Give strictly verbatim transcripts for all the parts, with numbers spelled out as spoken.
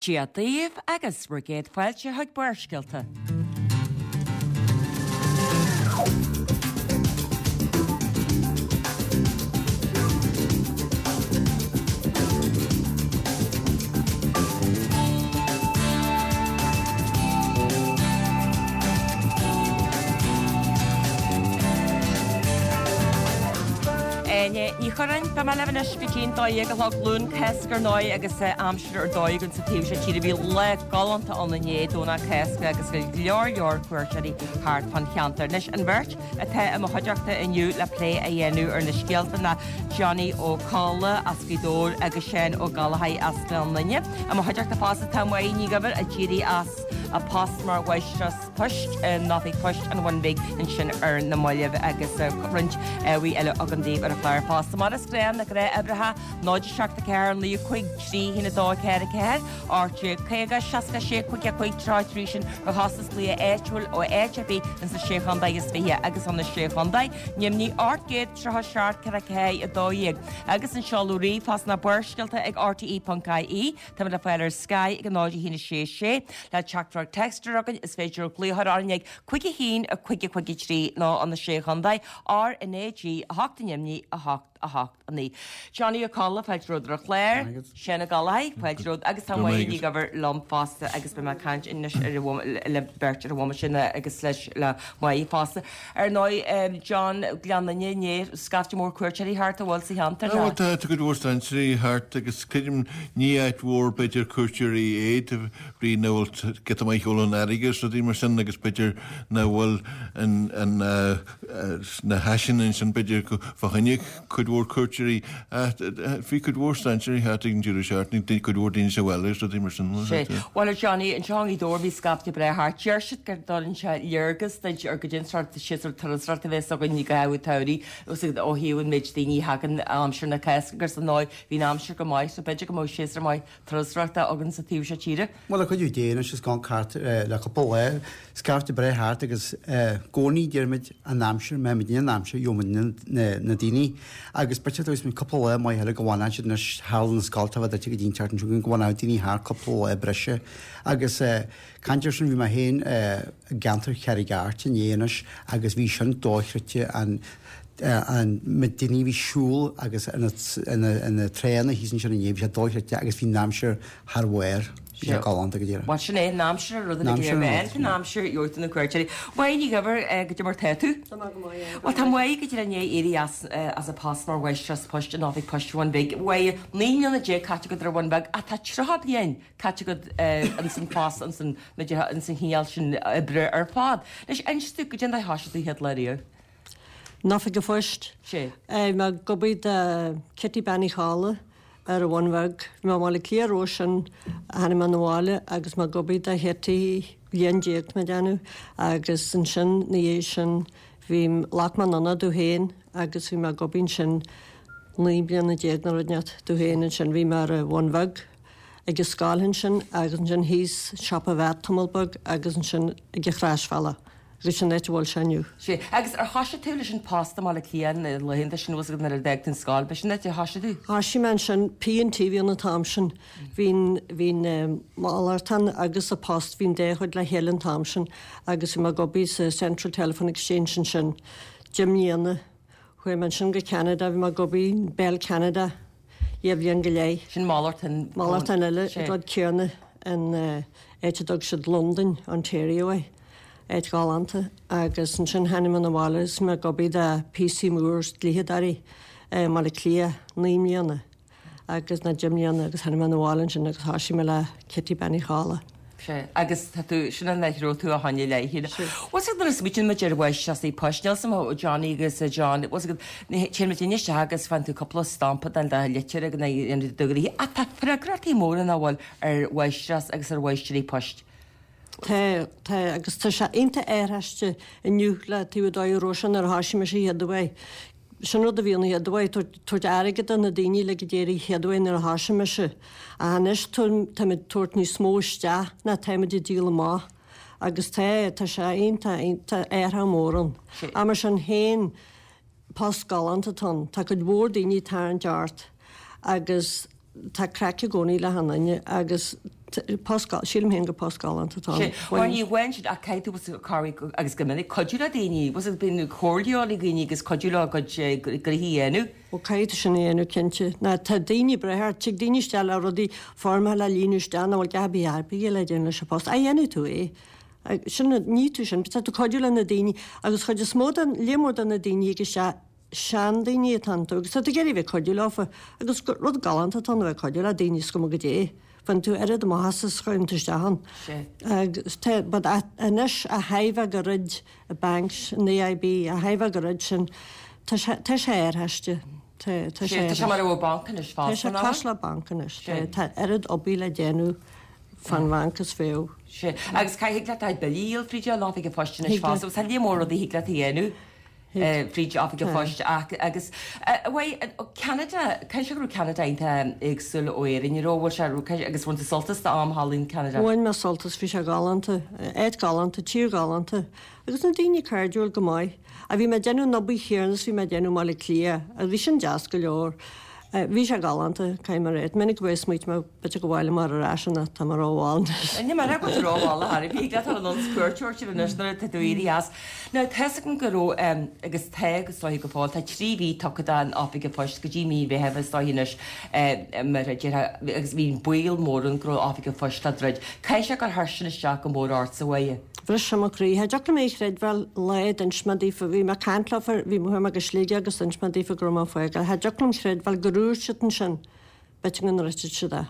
Dia daoibh agus bhur gcéad fáilte chuig Barrscéalta. Áine Ní Churráin, Beidh mé libh anois go dtí'n dó dhéag a chlog, Luan Cásca ar ndóigh agus aimsir ar dóigh againn sa taobh seo tíre. Bhí lá galánta ann inné, Domhnach Cásca, agus bhí go leor leor cuairteoirí thart fán cheantar. Anois an bheirt atá i mo chuideachta inniu le plé a dhéanamh ar na scéalta ná Johnny Ó Colla as Gaoth Dobhair agus Seán Ó Gallchóir as Gleann Fhinne. I mo chuideachta fosta tá Máire Ní Dhuibhir a d'éirigh as a post mar mháistreás poist in Oifig Poist an Bhun Bhig ansin ar na mallaibh agus roinnt ábhair eile agam daoibh ar an chlár fosta. Mar is gnáth, na gnáthuimhreacha, náid a seacht a ceathair, naoi a cúig, trí haon a dó a ceathair a ceathair, ocht déag caoga, seasca sé, cúig a cúig, tríocha a trí sin ar chostas glaoch áitiúil ó áit ar bith ins na Sé Chontae is Fiche agus sna Sé Chontae, Neimnigh ocht gcéad tríocha seacht ceithre ceathair a dó dhéag agus an seoladh ríomhphost ná Barrscéalta ag R T E ponc I E. Táimid le fáil ar Sky ag a náid a haon a sé sé. Le teachtaireacht téacs a chur chugainn is féidir glaoch a chur orainn ag cúig a haon a cúig a cúig a trí nó an na Sé Chontae, R N A G a hocht neimní a hocht a hocht a naoi. Johnny Ó Colla, fáilte romhat ar an chlár. Seán Ó Gallchóir, fáilte romhat agus tá Máire Ní Dhuibhir liom fosta agus beidh mé ag caint anois ar an le beirt ar an bhomaite sin agus leis le Máire fosta. Ar ndóigh, John, Gleann Fhinne inné, scaifte mór cuairteoirí thart an bhfuil sa cheantar? Bhuel tá cuid mhór strainséirí thart agus creidim ní áit mhór b'fhéidir cuairteoirí é de bhrí nach bhfuil giota maith shiúl an fharraige agus rudaí mar sin agus b'fhéidir nach bhfuil an an na háiseanna ansin b'fhéidir fá choinne cuid mhór cuairteoirí ach bhí cuid mhór strainséirí thart ag an deireadh seachtaine cuid mhór daoine sa bhaile agus rudaí mar sin. Sea. Bhuel a Johnny, anseo i nGaoth Dobhair bhí scaifte breá thart. Deir siad go dtugann sé léargas duit ar goidé an sórt séasúr turasóireachta a bheas againn i gcaitheamh an tsamhraidh ó thaobh an méid daoine a thagann aimsir na Cásca agus ar ndóigh bhí an aimsir go maith so b'fhéidir go mbeadh séasúr maith turasóireachta againn sa taobh seo tíre. Bhuel, le cuidiú Dé anois is gan cairt le cúpla lá, scaifte breá thart agus i gcónaí deirimid an aimsir, má bhímid in aimsir, gheobhaimid na daoine agus b'fhéidir dóibh is cúpla lá maith eile go bhfanann siad anois tharla na scoltacha duit go dtí an tseachtain seo chugainn go bhfanadh daoine thart cúpla lá breise agus caint air sin bhí mé féin i gceantar Charraig Airt inné anois agus bhí sin dochreidte an an méid daoine a bhí ag siúl agus ar na tránna thíos ansin inné, bhí sé dochreidte agus bhí an aimsir thar bharr, bhí sé galánta go díreach. Bhuel sin é, an aimsir an rud uilig go léir, bhean an aimsir, gheobhaidh tú na cuairteoirí. Máire Ní Dhuibhir, goidé mar tá tú? Tá mé go maith, yeah. Bhuel tá Máire go díreach i ndiaidh éirí as as a post mar mháistreás poist in Oifig Poist an Bhun Bhig. Máire, naoi mbliana déag caite agat ar an Bhun Bheag ach tá tríocha bliain caite agat ins an phost ins an ins an chineál sin oibre ar fad. Anois inis domh goidé an dóigh a thoisigh tú chéad lá riamh. In Oifig an Phoist. Sea. Bhí mé ag obair do Kitty Bean Uí Cholla ar an Bhun Bheag. Bhí mé i mBaile Átha Cliath roimhe sin, tháinig mé 'na bhaile agus mé ag obair do Chitty bliain déag tá mé ag déanamh agus ansin 'na dhiaidh sin bhí, ghlac mé anonn domh féin agus bhí mé ag obair ansin naoi mbliana déag nó rud inteacht domh féin ansin. Bhí mé ar an Bhun Bheag ag an scoil ansin agus ansin thíos siopa Mheait tamall beag agus ansin ag an Chroisbhealach. Agus sin an áit a bhfuil sé inniu. Sea. Agus ar thoisigh tú leis an post i mBaile Átha Cliath na laethanta sin bhfuil 's agat nuair a d'fhág tú an scoil, b'shin an áit a thoisigh tú? Thoisigh mé ansin, P and T a bhí ann an t-am sin. Bhí an, bhí an malartán agus an post, bhí an dá chuid le chéile an t-am sin agus bhí mé ag obair sa Central Telephone Exchange ansin deich mbliana. Chuaigh mé ansin go Ceanada, bhí mé ag obair in Bell Canada dhá bhliain go leith. Sin malartán. Malartán eile, an rud céanna in áit a dtug siad Londain, Ontario é. Áit ghalánta. Agus ansin tháinig mé 'na bhaile agus bhí mé ag obair do P C Moores, dlítheadóirí, i mBaile Átha Cliath naoi mbliana agus nó deich mbliana agus tháinig mé 'na bhaile ansin agus thoisigh mé le Kitty Bean Uí Cholla. Sea, agus tá tú, sin an áit a raibh tú ó shoin i leith, shíl. Bhfuil 's agat nuair a smaoitíonn muid ar mháistreásaí poist, níl 's agam ó Johnny agus John, bhfuil 's agat, téann muid isteach agus faigheann tú cúpla stampa den dá litir ag an do ghnoithe, ach tá freagrachtaí móra nach bhfuil ar mháistreás agus ar mháistirí poist. Tá, tá, agus tá sé iontach athraithe inniu le taobh an dóigh a raibh sé nuair a thoisigh mise an chéad uair. Sin rud a bhí ann an chéad uair, tabhairt airgead do na daoine le go d'éirí an chéad uair nuair a thoisigh mise. Ach anois táimid ag tabhairt níos mó isteach ná táimid ag díol amach. Agus tá, tá sé iontach, tá athrú mór ann. Ach mar sin féin, post galánta atá ann. Tá cuid mhór daoine ag tarraingt ort agus tá craic i gcónaí le achan duine agus Post, sílim féin gur post galánta atá ann. Bhuel ní amháin sin ach caithfidh tú cabhrú agus go minic cuidiú le daoine, bhfuil bíonn comhairle le daoine agus cuidiú leo a gcuid gnoithí a dhéanamh. Ó caithfidh tú sin a dhéanamh cinnte. Ná tá daoine breithe ort, tig daoine isteach le rudaí foirmeacha le líonadh isteach nach bhfuil a dhath ar bith le déanamh leis an bpost. Ach dhéanfaidh tú é. Sin, ní tú sin, tá tú cuidiú le na daoine agus chuid is mó den, líon mór de na daoine a thig isteach seandaoine atá iontu agus tá tú ag iarraidh bheith ag cuidiú leofa agus rud galánta atá ann a bheith ag cuidiú le daoine is cuma goidé. Bhain tú oiread amach as is chuireann tú isteach ann. Agus tá, but anois a thaobh go roid i banks, an AIB, a thaobh go roid sin, tá sé, tá sé ar thaiste. Tá, tá sé Tá sé mar a bheadh banc anois Tá sé fosta, nach bhfuil? cosúil le banc anois. Tá, tá oiread obair le déanamh fán bhanc is fiú. Sea. Agus caithfidh leat do bhillí a dhíol fríd an oifig an phoist anois Thig leat. fosta. Agus tá líon mór rudaí thig leat a dhéanamh. fríd oifig an phoist ach agus bhuel Ceanada, caithfidh sé go raibh Ceanada iontach éagsúil ó Éirinn, ní raibh, bhfuil sé, raibh, agus bhain tú sult as d'am thall in Ceanada? Bhain mé sult as, bhí sé galánta, áit galánta, tír ghalánta agus na daoine cairdiúil go maith. Ach bhí mé ag déanamh an obair chéanna is bhí mé ag déanamh i mBaile Átha Cliath agus bhí sin deas go leor. Bhí sé galánta, caithfidh mé a rá. Minic a bheith smaoitigh mé b'fhéidir go bhfáil mar ar ais an tá mé rómhall anois. Ní mar go bhfuil tú rómhall a Harry, bhí leat an ionns cuairteoir sin anois nuair atá tú éirithe as. Now tá's agam go raibh agus tá agus is dóiche go fóill, tá trí mhí tugtha don Oifig an Phoist go dtí mí Mheithimh is dóiche anois mar a déarfá agus bhí baol mór ann go raibh Oifig an Phoist á druid. Caithfidh sé gur chuir sin isteach go mór ortsa a Mháire. Bhris sé mo chroí. Cha dtiocfadh liom é a chreidbheáil lá d'inis mé daofa, bhí mé ag caint leofa, bhí mé chuaigh mé go Sligeach agus d'inis mé daofa go raibh mé ag fágáil. Cha dtiocfadh liom chreidbheáil gur dhúirt siad ansin, b'fhéidir go ndruidfeadh siad é.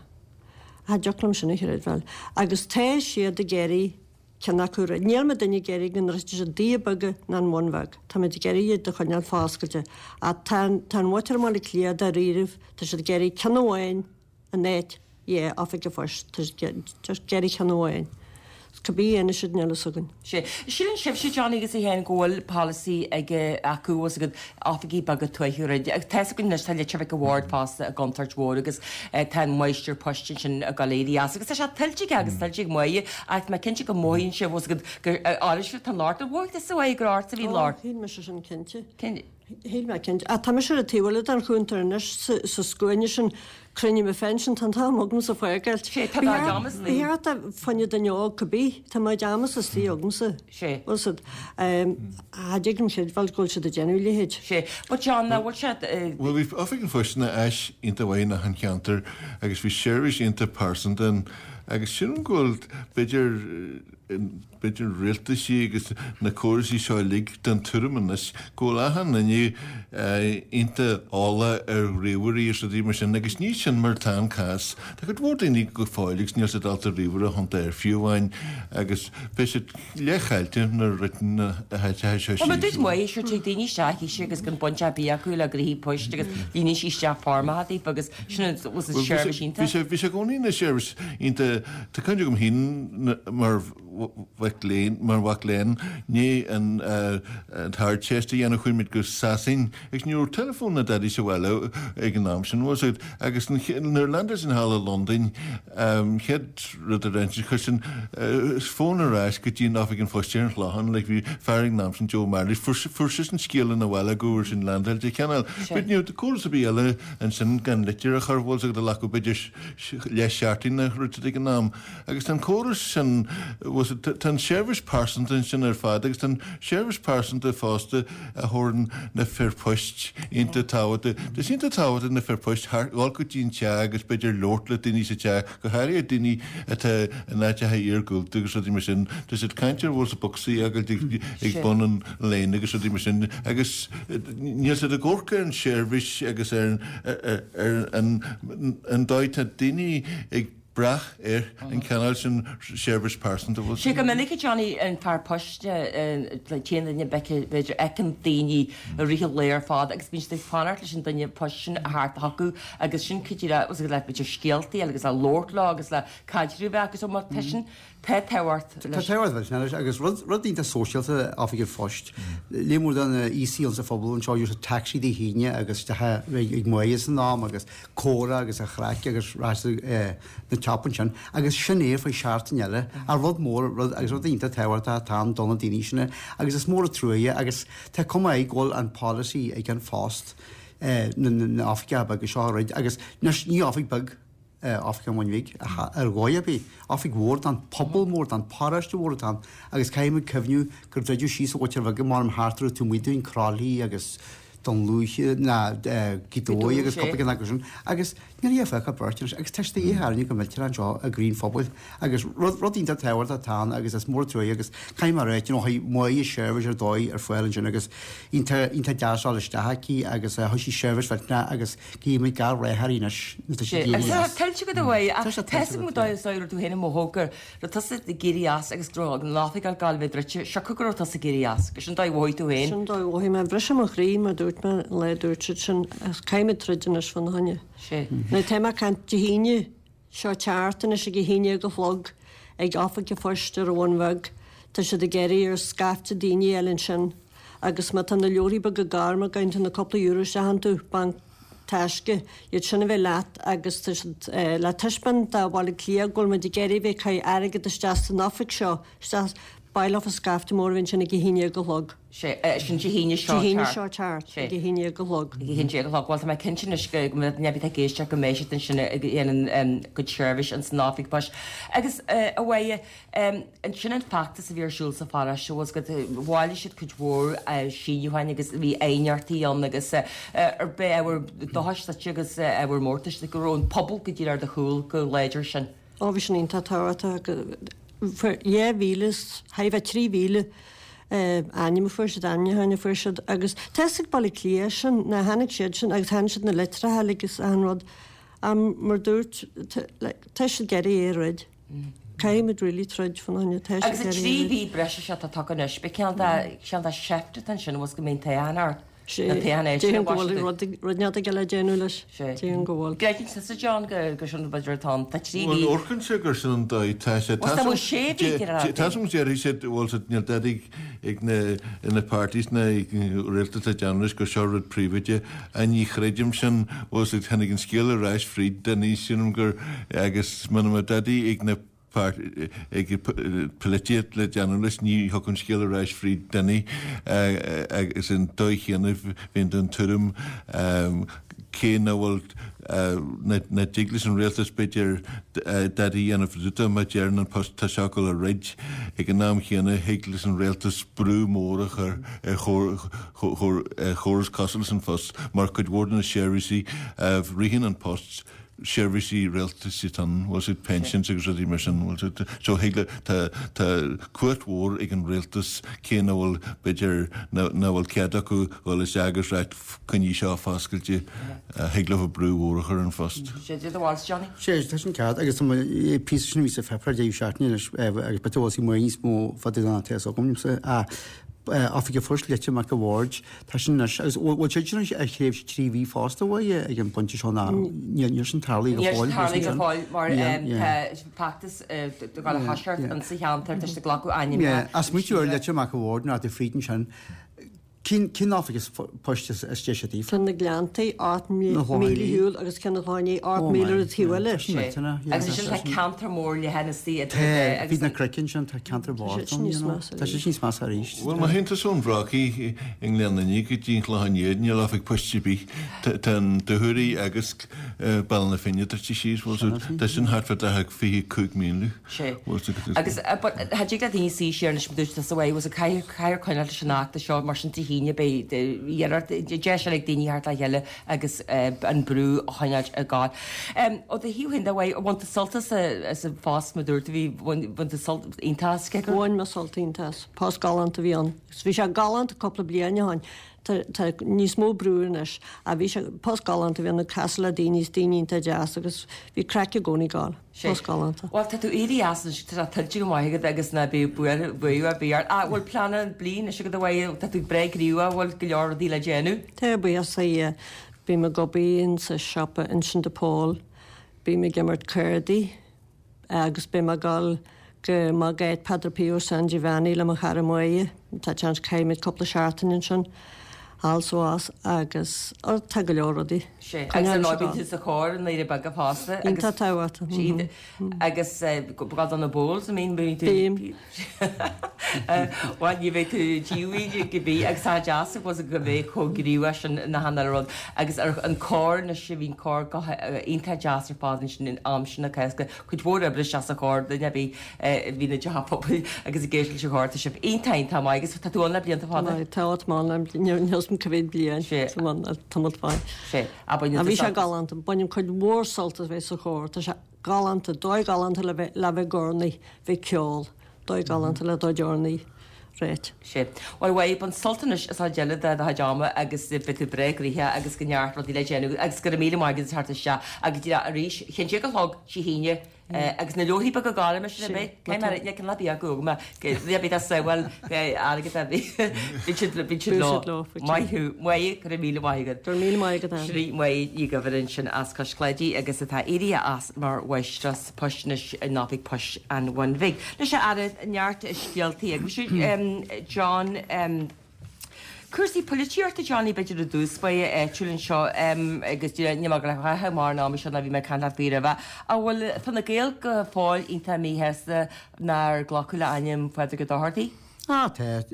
Cha dtiocfadh liom sin a chreidbheáil. Agus tá siad ag iarraidh ceann acu a dhruid. Níl muidinne ag iarraidh go ndruidfidh siad Doire Beaga ná an Bhun Bheag. Tá muid ag iarraidh iad a choinneáil foscailte. Ach tá an, tá an mhuintir i mBaile Átha Cliath dáiríribh, tá siad ag iarraidh ceann amháin in áit dhá oifig an phoist, tá siad just ag iarraidh ceann amháin. Cibé a dhéanfaidh siad níl a fhios againn. Sea. Síleann sibhse, Johnny agus a Sheáin, go bhfuil polasaí ag acu agus agat oifigí beaga tuaithe a dhruid. Agus tá's againn anois tá Leitir Mhic a' Bhaird fosta i gcontúirt mhór agus tá an máistir poist ansin ag dul éirí as. Agus tá sé tuillte aige agus tuillte ag Máire ach tá mé cinnte go mothaíonn sibh agus agat gur áirid sibh tá an locht ar mhothaigh tusa a Mháire gur ortsa a bhí an Ó, locht. shíl mise sin cinnte. Cén. Shíl mé cinnte. Ach tá mise ar an taobh eile den chuntar anois, sa scuaine sin, cruinniú mo phensin, tá an t-am agamsa fágáilt. Sé, tá do amas Ba cheart do fá choinne duine óg cibé, tá mo amas istigh agamsa. Sé. Bhfuil siad, cha dtig liom chreidbheáil go bhfuil siad ag déanamh a leithéid. Sé. But John, nach bhfuil siad. Bhuel, bhí Oifig an Phoist ina áis iontach mhaith in achan cheantar agus bhí seirbhís iontach pearsanta ann agus sílim go bhfuil, b'fhéidir, b'fhéidir rialtaisí agus na córaisí seo uilig den tuairim anois go bhfuil achan duine iontach eolach ar ríomhairí agus rudaí mar sin agus ní sin mar atá an cás. Tá cuid mhór daoine go fóill agus níl siad ábalta ríomhaire a thiontú air fiú amháin agus beidh siad leathchaillte nuair a dhruideann na háiteacha seo Bhuel, mar síos. dúirt Máire, sure tig daoine isteach thíos agus gan baint ar bith acu le gnoithí poist agus líonann siad isteach foirmeacha daofa agus sin an seirbhís iontach. Bhí sé bhí sé i gcónaí ina seirbhís iontach tá cuimhne agam féin mar mhac léinn, mar mhac léinn, ní an tArdteist a dhéanamh, chuaigh muid go Sasain agus ní raibh teileafón ná dadaí sa bhaile ag an am sin, bhfuil a fhios agat, agus nuair a landáil sinn thall i Londain, chéad rud a rinne siad, chuir siad fón ar ais go dtí an oifig an phoist ar an Chlochán, like bhí fear ag an am sin, Joe Marley, fuair fuair seisean scéal ina bhaile go bhfuair sinn landáilte, cineál, but ní raibh córas ar bith eile ansin gan litir a chur, bhfuil a fhios agat, a ghlacfadh b'fhéidir leath seachtain a rud ag an am. Agus tá an córas sin, tá an seirbhís pearsanta ansin ar fad agus tá an seirbhís pearsanta fosta a thabharann na fir poist iontach tábhachtach. Tá sé iontach tábhachtach na fir poist a dhul go dtí an teach agus b'fhéidir labhairt le daoine sa teach, go háirithe daoine atá in áiteacha iargúlta agus rudaí mar sin. Tá siad caint ar bhfuil bocsaí ag ag bun an léin agus rudaí mar sin agus níl siad ag amharc ar an seirbhís agus ar an an dóigh tá daoine ag brath ar an cineál sin seirbhís pearsanta. Bhfuil Sé go minic a Johnny an fear poist téann duine b'fhéidir fheiceann daoine i rith an lae ar fad agus bíonn siad ag fanacht leis an duine poist sin a theacht chucu agus sin cuid le le b'fhéidir scéaltaí agus le labhairt leo agus le caidreamh a bheith acu so má tá sin Tá tábhacht Tá leis. tábhacht leis anois agus rud rud iontach sóisialta Oifig an Phoist. Líon mór de na aosaigh ann sa phobal anseo ag úsáid taxi Dé hAoine agus isteach ag Máire san am agus comhrá agus a chraic agus rachadh na teap ansin agus sin é faoi seachtain eile. Ach rud mór rud agus rud iontach tábhachtach atá ann do na daoine sin agus is mór an truaighe agus tá cuma air go bhfuil an polasaí ag An Post na na oifigí beaga seo a dhruid agus anois ní oifig beag Oifig an Bhun Bhig ar dhóigh ar bith. Oifig mhór don pobal mór don paróiste mhór atá ann agus caithfidh muid cuimhniú gur druideadh síos an Mhuintir Bheag mar thart ar tú muidún Croithlí agus Dún Lúiche ná Gaoth Dobhair agus cúpla ceann acu sin agus níl a fágtha beirt anois agus tá sé de dhíth go millteanach anseo i gcroí an phobail agus rud rud iontach tábhachtach atá ann agus is mór trua agus caithfidh mé a rá you know maith seirbhís ar dóigh ar fáil ansin agus iontach iontach deas dul isteach aici agus thug sí seirbhís mhillteanach agus guímid gach rath uirthi anois tá sí Agus tá tuillte agat a Mháire ach tá sé go dóigh is dóigh tú féin mo thóg raibh tusa ag éirí as agus go raibh an oifig ag gabháil a bheith druidte siocair go raibh tusa ag éirí as agus sin dóigh mhothaigh tú féin. Sin dóigh mhothaigh mé bhris mo chroí mar dúirt mé an lá dúirt siad sin ach caithfimid troid anois fána choinne. Sé. Now tá mé ag caint Dé hAoine seo teart anois ag a haon déag a chlog ag oifig an phoist ar an Bhun Bheag. Tá siad ag iarraidh ar scaifte daoine eile ansin agus má tá na leabharthaí beaga gorma gan tá na cúpla euro isteach iontu banc taisce iad sin a bheith leat agus tá siad le taispeáint do Bhaile Átha Cliath go bhfuil muid ag iarraidh bheith ag caitheamh airgead isteach san oifig seo isteach baileofar scaifte mór a bhíonn sin ag a haon déag a chlog. Sé sin Dé hAoine seo Dé hAoine seo teart ag a haon déag a chlog. Ag a haon déag a chlog. Bhuel tá mé cinnte anois go mbeidh neamh ag éisteacht go mbeidh siad ansin ag déanamh cuid seirbhís ins an oifig poist. Agus a Mháire, ansin an feachtas a bhí ar siúl sa pharóiste was go bhailigh siad cuid mhór síniúcháin agus bhí aighneachtaí ann agus ar bith ábhar dóchais duit agus ábhar mórtais go raibh an pobal go díreach ar do chúl go láidir sin. Ó bhí sin iontach tábhachtach dhá mhíle thar a bheith trí mhíle ainm a fuair siad ainmniúcháin a fuair siad agus tá fhios ag Baile Átha Cliath sin ná tháinig siad sin agus tháinig siad na litreacha agus achan rud mar dúirt tá siad ag iarraidh é a throid. Caithfimid really troid fána choinne tá siad Agus an trí mhí breise seo atá tagtha anois, b'é ceann de ceann de sheift atá ansin was go mbíonn toghchán ort. Sé déarfainn go bhfuil rud rud neart aige le déanamh leis. Sé. Déarfainn go bhfuil. Gcreideann tusa John go gur sin b'fhéidir atá ann. Tá trí Bhuel mhí. amharcann sé gur sin an dóigh tá sé. Bhuel tá bhfuil sé mhí ar a Tá súil déarfaidh siad bhfuil siad níl dadaí ag na na parties na rialtas le déanamh leis gur seo rud príobháideach a ní chreidim sin bhfuil siad tháinig an scéal ar ais fríd duine sílim gur agus muna mbeadh dadaí ag na ag polaitíocht le déanamh leis ní thiocfadh an scéal ar ais fríd duine agus an dóigh chéanna bhíonn den tuairim cé nach bhfuil nach dtig leis an rialtas b'fhéidir dadaí a dhéanamh fadúta má deireann an post tá sé ag dul a throid ag an am chéanna thig leis an rialtas brú mór a chur ar chóras cosúil leis an phost mar cuid mhór de na seirbhísí a ritheann an post seirbhísí rialtais atá ann, bhfuil siad pensions agus rudaí mar sin, bhfuil siad, so thig le, tá, tá cumhacht mhór ag an rialtas cé nach bhfuil, b'fhéidir, nach bhfuil cead acu dhul isteach agus ráit coinnigh seo foscailte, thig leo brú mhór a chur ar an phost. Sé do bharúil Johnny? Sé, tá sin ceart agus tá mo píosa sin a bhí sa pháipéar deireadh seachtaine anois agus b'fhéidir go bhfuil sí níos mó fada ná tá fhios agamsa. Oifig an Phoist Leitir Mac a' Bhaird, tá sin anois, agus bhfuil siad sin anois ar thréimhse trí mhí fosta uaidh ag an bpointe seo ná níl sin tarlaithe go Níl fóill. sin tarlaithe go fóill mar tá feachtas ag gabháil a thoiseacht insa cheantar, tá siad ag glacadh ainmneacha. As smaoitiú ar Leitir Mac a' Bhaird ná do fríd ansin, Cén cén oifig poist is deise daoibh? Ceann na Gleanntaí, ocht míle ar shiúl agus ceann an Chlocháin Léith, ocht míle ar an taobh eile. Agus ansin tá ceantar mór leathan istigh idir Tá, bhí na cnoic ansin, tá ceantar Tá sé sin níos measa Tá sé sin níos measa arís. Bhuel, má théann tusa ón Bhrocaigh i nGleann Fhinne go dtí an Clochán Liath, níl oifig poist ar bith. Tá an Dúchoraidh agus Bealach na Finne druidte síos, bhfuil tá sin thart fá daichead fiche cúig míle. Sé. Agus but cha dtig le daoine suí siar anois mar dúirt tusa uaidh, was caithfear caithfear coinneáil leis an fheachtas seo mar sin Dé hAoine beidh iarracht deis eile ag daoine theacht le chéile agus an brú a choinneáil ag gabháil. Ó do thaobh féin de uaidh, bhain tú sult as as an phost mar dúirt tú bhí bhain bhain tú sult iontach as cé gur Bhain mé sult iontach as. Post galánta a bhí ann. Agus bhí sé galánta cúpla bliain ó shin. Tá tá níos mó brú anois. Ach bhí sé post galánta a bhí ann ag casadh le daoine is daoine iontach deas agus bhí craic i gcónaí ag gabháil. Sé. Post galánta. Bhuel tá tú éirithe as anois, tá sé tuillte go maith agat agus ná bíodh buartha buartha ar bith ort. Ach bhfuil plean an bliain anois agat a Mháire, tá tú breá gníomhach, bhfuil go leor rudaí le déanamh? Tá, buíochas le Dia. Bím ag obair insa siopa ansin de Paul. Bím ag imirt cárdaí agus beidh mé ag dul go Magh Padre Pio San Giovanni le mo chara Máire. Tá seans caithfimid cúpla seachtain ansin. Also agus tá go leor rudaí. Sé agus an bíonn tú sa chór in Éire Beaga fosta agus tá agus go na bowls I mean bíonn tú Bhuel ní bheidh tú díomhaoin go bí agus tá deas was go bheith chomh gníomhach sin na hana rud agus ar an cór na sé bhín cór go iontach deas ar fad sin in am sin na Cásca cuid mhór oibre isteach sa chór duine bhí bhí na deá pobail agus ag éisteacht leis an chór tá sibh iontach iontach maith agus tá tú ann le blianta fada. Tá má níos go bhí bliain tamall fáin. Sé a bhí sé galánta bainim cuid mhór sult as bheith sa chór tá sé galánta dóigh galánta le bheith le bheith ag urnaí bheith ceol dóigh galánta le dóigh urnaí réit. Sé. Well bhuel bain sult anois as an deireadh de do chuid ama agus beidh tú breá gnoitheach agus go neart rudaí le déanamh agus go raibh míle maith agat as theacht isteach agus arís cheann déag a chlog Dé hAoine agus na leabharthaí beaga gorma sin a bheith cé mar cén lá beag go bhí bhí bhfuil airgead a bhí bhí siad bhí siad leo. Maith thú maith go raibh míle maith agat. Go raibh míle maith agat. Sin í Máire Ní Dhuibhir ansin as Cois Claidí agus atá éirithe as mar mháistreás poist anois in Oifig Poist an Bhun Bhig. Leis an aire neart scéaltaí agus John cúrsaí polaitíochta Johnny b'fhéidir i dtús báire áitiúil anseo agus ní mar go raibh mar an am seo ná bhí mé ag caint leat faoi roimhe. An bhfuil Fine Gael go fóill iontach míshásta nár glacadh le ainm Phádraig Ó Dochartaigh? Ah tá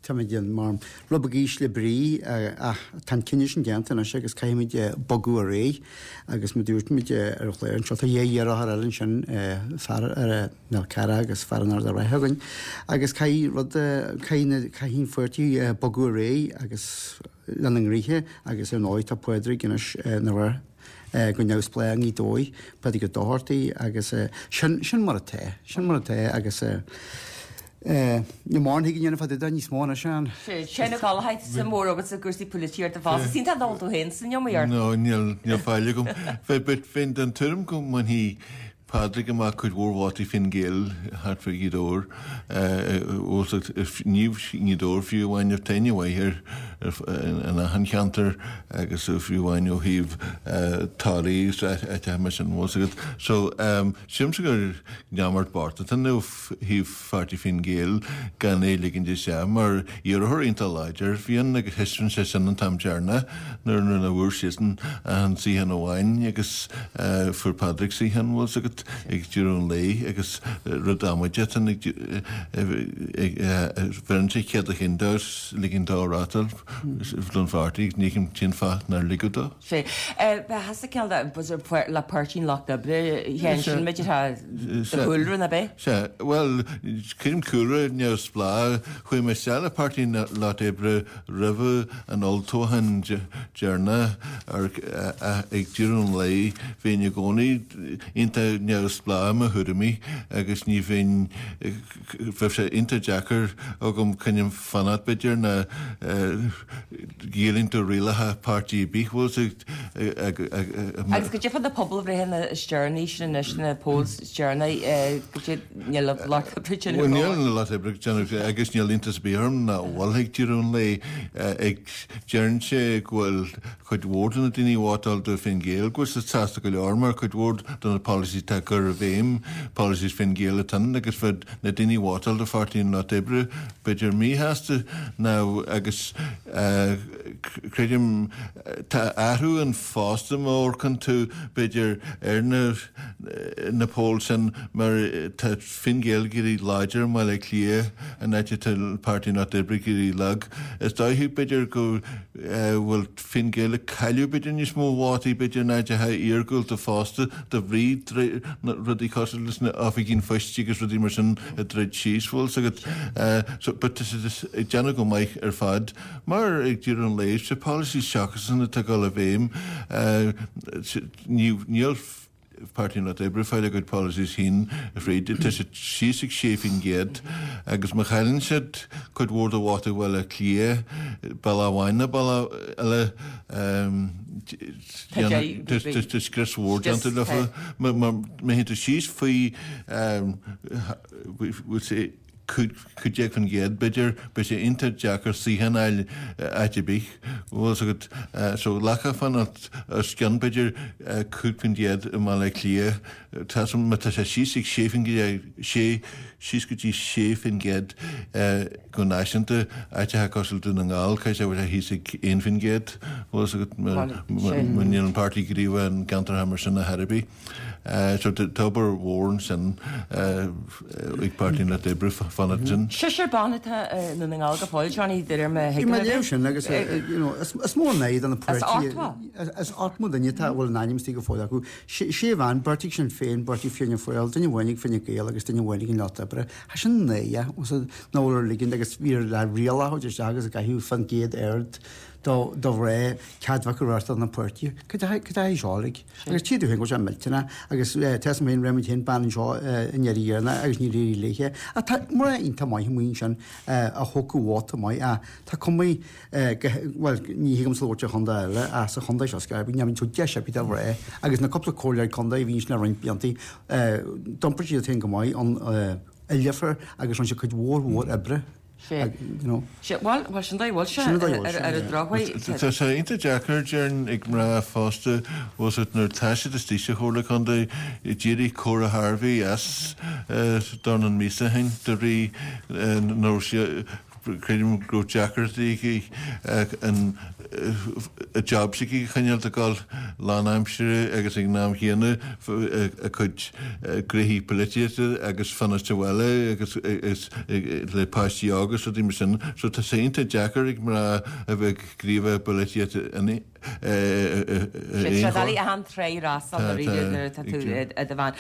táimid mar rud beag ísle brí ach tá an cinneadh sin déanta anois agus caithfimid bogadh ar aghaidh agus mar dúirt muid ar an chlár anseo tá dhá iarrthóir eile ansin fear ar Nel Cara agus fear an Ard Raithe againn agus caithfidh rud caithfidh caithfidh an pháirtí bogadh ar aghaidh agus lena ngnoithe agus ar ndóigh tá Pádraig anois ina rith go neamhspleách i nGaoth Dobhair, Pádraig Ó Dochartaigh agus sin sin mar atá sin mar atá agus Ní mórán thig a dhéanamh fá dtaobh de níos mó anois an. Sé na Gallachais sa mór agus i gcúrsaí polaitíochta fosta. Is iontach dul tú féin san iomaíocht. No, níl níl faill agam. Bheith but bheinn den tuairim go mbainfidh Pádraig amach cuid mhór vótaí Fine Gael thart fá Ghaoth Dobhair. Ní i nGaoth Dobhair fiú amháin tá aithne mhaith air in achan cheantar agus fiú amháin ó thaobh Toraí agus áiteacha mar sin bhfuil fhios agat. So sílimse gur neamart bocht atá ann ó thaobh pháirtí Fine Gael gan é a ligint isteach mar iarrthóir iontach láidir a bhí ann agus thaispeáin sé sin an t-am deireanach nuair nuair a bhfuair siadsan an suíochán amháin agus fuair Pádraig suíochán bhfuil fhios agat ag deireadh an lae agus rud amaideach atá ann ag bheireann sé cead a chinn dó ligint dó reáchtáil don pháirtí ní fheicim cén fáth nár ligeadh dó. Sea. Bheadh cineál de le Páirtí an Lucht Oibre féin sin b'fhéidir tá do chúlra ná b'é? Sea, bhuel, creidim cúlra neamhspleách, chuaigh mé isteach le Páirtí an Lucht Oibre roimhe an olltoghchán deireanach ach ag deireadh an lae bheinn i gcónaí iontach neamhspleách i mo thuairimí agus ní bheinn, bheadh sé iontach deacair agam coinne fanacht b'fhéidir ná géilliúint do rialacha páirtí ar bith, bhfuil fhios agat. Agus goidé fá na pobalbhreitheanna is deireanaí sin anois, na polls is deireanaí, goidé, níl an Lucht Oibre ag déanamh Bhuel, níl an Lucht Oibre ag déanamh agus níl iontas ar bith orm nach bhfuil ag deireadh an lae. Ag deireann sé go bhfuil cuid mhór de na daoine a vótáil do Fine Gael go bhfuil siad sásta go leor mar cuid mhór de na policies atá curtha i bhfeidhm, policies Fine Gael atá ann agus bheadh na daoine a vótáil do Pháirtí an Lucht Oibre b'fhéidir míshásta ná agus creidim tá athrú ann fosta má amharcann tú b'fhéidir ar na na polls sin mar tá Fine Gael ag éirí láidir i mBaile Átha Cliath an áit atá Páirtí an Lucht Oibre ag éirí lag. Is dóichí b'fhéidir go bhfuil Fine Gael ag cailleadh b'fhéidir níos mó vótaí b'fhéidir in áiteacha iargúlta fosta de bhrí rudaí cosúil leis na oifigí an phoist agus rudaí mar sin a druid síos, bhfuil fhios agat. So but tá siad ag déanamh go maith ar fad mar ag deireadh an lae sé policies s'acusan atá ag dul i bhfeidhm níl Páirtí an Lucht Oibre ag fáil a gcuid policies féin fríd. Tá siad síos ag sé faoin gcéad agus má chailleann siad cuid mhór de vótaí Bhaile Átha Cliath, bealach amháin nó bealach eile, tá scrios mhór déanta leofa. Má théann tú síos faoi, we'll say, cúig déag faoin gcéad, b'fhéidir, beidh sé iontach deacair suíochán a fháil áit ar bith, bhfuil fhios agat. So ghlacfá fanacht os cionn, b'fhéidir, cúig faoin gcéad i mBaile Átha Cliath. Tá, má tá sé síos ag sé faoin gcéad, sé, síos go dtí sé faoin gcéad go náisiúnta, áiteacha cosúil Dún na nGall, caithfidh sé bhfuil sé thíos ag aon faoin gcéad, bhfuil fhios agat, mar níl an páirtí gníomhach in gceantartha mar sin ar chor ar bith. So tá obair mhór ansin ag Páirtí an Lucht Oibre fanacht sin. Seisear ban atá i nDún na nGall go fóill, Johnny, de réir mo thuigim. Bhí mé ag léamh sin agus you know is mór an aghaidh do na páirtithe. Is ochtó duine atá a bhfuil a n-ainm istigh go fóill acu. Sé bhean, beirt ag Sinn Féin, beirt ag Fianna Fáil, duine amháin ag Fine Gael agus duine amháin ag an Lucht Oibre. Tá sin naoi, nach bhfuil ar ligint agus bhí le riail a thabhairt isteach agus a gcaitheamh fan gcéad aird do do mhná cead bheith acu reáchtáil na páirtithe. Cad é cad é seo like? Agus tchí tú féin go bhfuil sé millteanach agus tá fhios agam féin raibh muid féin bean anseo i ndeireadh dheireanach agus níor éirigh léithe. Ach tá mná iontach maith amuigh ansin a thógfadh vóta maith ach tá cuma go bhuel ní thig liomsa labhairt ar chontae eile ach sa chontae seo Scairbí ní bhíonn deis ar bith do mhná agus na cúpla comhairleoir contae a bhí ansin le roinnt blianta d'iompair siad féin go maith an oilithreacht agus rinne siad cuid mhór mhór oibre. Sea. Sea, bhuel, bhuel, sin dóigh a bhfuil sé, Sin an dóigh a bhfuil sé, ar an yeah. drochuair. Tá sé iontach deacair, déarfainn, ag mná fosta, bhfuil fhios agat, nuair atá siad istigh sa Chomhairle Contae, d'éirigh Cora Harvey as dornán míosa ó shin de bhrí nach raibh sí, creidim go raibh deacrachtaí aici an job s'aici a choinneáil ag dul lánaimsire agus ag an am chéanna a cuid gnoithí polaitíochta agus fanacht sa bhaile agus le páistí óga agus rudaí mar sin. So tá sé iontach deacair ag mná a bheith gníomhach i bpolaitíocht in Sé doiligh achan tráigh rásach dáiríre nuair atá tú i do bhean.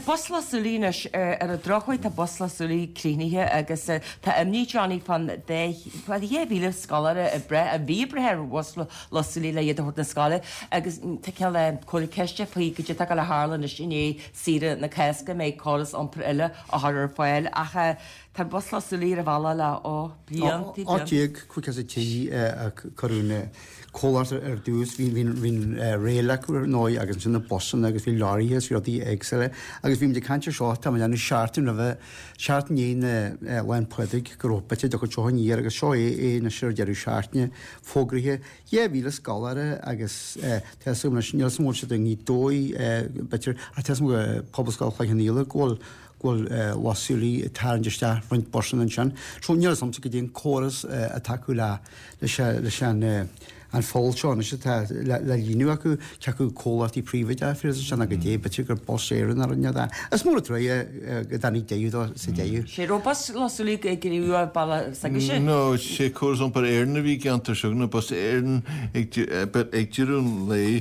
Bus Loch Súilí anois, ar an drochuair tá Bus Loch Súilí críochnaithe agus tá imní Johnny fán dá dhá mhíle scoláire ag brath, a bhí ag brath ar bhus Loch Súilí le iad a thabhairt na scoile agus tá cineál comhartha ceiste faoi goidé atá ag gabháil a tharlú anois i ndiaidh saoire na Cásca, an mbeidh córas iompair eile á chur ar fáil ach tá Bus Loch Súilí ar an bhealach le ó blianta, blianta. Ocht déag caoga is a trí a cuireadh na comhlacht ar dtús, bhí bhí rail acu ar ndóigh agus ansin na busanna agus bhí leoraithe is rudaí éagsúla agus bhí muid ag caint ar seo, tá muid ag déanamh seachtain roimhe, seachtain i ndiaidh na Lá 'le Pádraig go raibh bit de chuid seo aniar agus seo é é anois ar deireadh seachtaine fógraithe dhá mhíle scoláire agus tá fhios agam anois, níl fhios agam an bhfuil siad i nGaoth Dobhair b'fhéidir ach tá fhios agam go Pobalscoil Chloich Cheann Fhaola go bhfuil go bhfuil Loch Súilí ag tarraingt isteach roinnt busanna ansin. So níl fhios agamsa goidé an córas atá acu le leis an an pholl seo anois atá le líonadh acu, cé acu comhlachtaí príobháideacha a phléann sin agus goidé, b'fhéidir gur Bus Éireann a rinne é. Is mór an trua é go dtáinig deireadh dó sa deireadh. Sé raibh Bus Loch Súilí ag gníomhú baile s'agaibhse? No, sé Córas Iompair Éireann a bhí i gceantar seo, nó Bus Éireann ag but ag deireadh an lae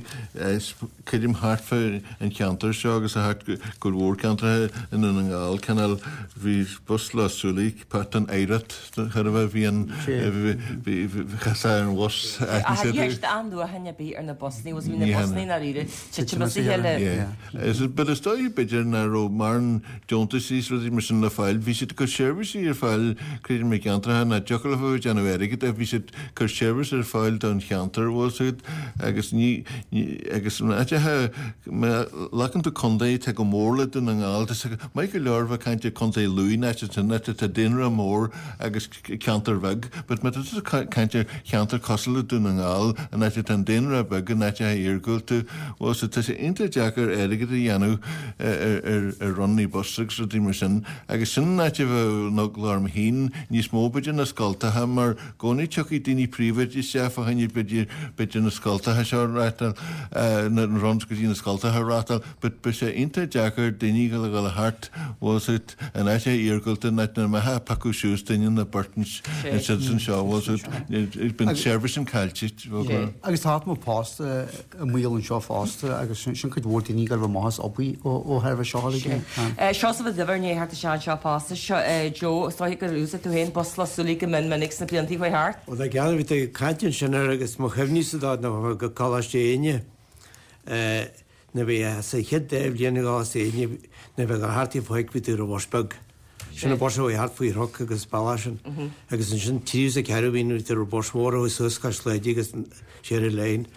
creidim thart fá an cheantar seo agus thart go leor ceantracha i nDún na nGall, cineál bhí Bus Loch Súilí páirt den oidhreacht chor a bheith, bhí an, bhí, chaithfeá ar an bhus Ach ní raibh athnuachan ar bith ar na busanna, was bhí na busanna i ndáiríre titim as a chéile. Yeah. But is dóigh b'fhéidir nach raibh mórán deontais is rudaí mar sin le fáil, bhí siad ag cur seirbhísí ar fáil creidim i gceantracha nach dtiocfadh leo a bheith ag déanamh airgid ach bhí siad ag cur seirbhís ar fáil don cheantar, bhfuil fhios agat, agus ní, ní, agus in áiteacha, má ghlacann tú contae atá go mór le Dún na nGall, tá sé maith go leor bheith ag caint ar Contae Lú in áit ansin, áit atá daonra mór agus ceantar bheag, but má tá tú ag caint ar cheantar cosúil le Dún na nGall, in áit atá an daonra beag, in áiteacha iargúlta, bhuel so tá sé iontach deacair airgead a dhéanamh ar ar ronnaí bus agus rudaí mar sin agus sin an áit a bheadh an eagla orm féin níos mó b'fhéidir na scoltacha mar i gcónaí tiocfaidh daoine príobháideacha isteach fá choinne b'fhéidir b'fhéidir na scoltacha seo a reáchtáil, na runs go dtí na scoltacha a reáchtáil but beidh sé iontach deacair daoine a dhul thart bhfuil fhios agat in áiteacha iargúlta in áit nach mbeifeá ag piocadh suas duine nó beirt ansin seo bhfuil fhios agat bíonn seirbhís an caillte bhfuil Agus tá mó post i mbaol anseo fosta agus sin cuid mhór daoine ag gabháil amach as obair ó thairbhe seo uilig. Seosamh Ó Duibhir i ndiaidh theacht isteach anseo fosta. Seo Joe, is dóiche gur úsáid tú féin bus Loch Súilí go mion minic sna blianta a chuaigh thart? Bhuel tá ceann a bhí tú ag caint ansin air agus mo chuimhní-sa dó ná go Coláiste Éinne nuair a bhí sa chéad dá bhliain i gColáiste Éinne nuair a bheadh thart ar fáidh bhí tú ar an bhus beag. Sin an bus a chuaigh thart faoi chnoc agus bealach sin. Agus ansin tríú is a ceathrú bhí nuair a bhí tú ar an bus mhór a chuaigh suas cois Laoi agus siar an line.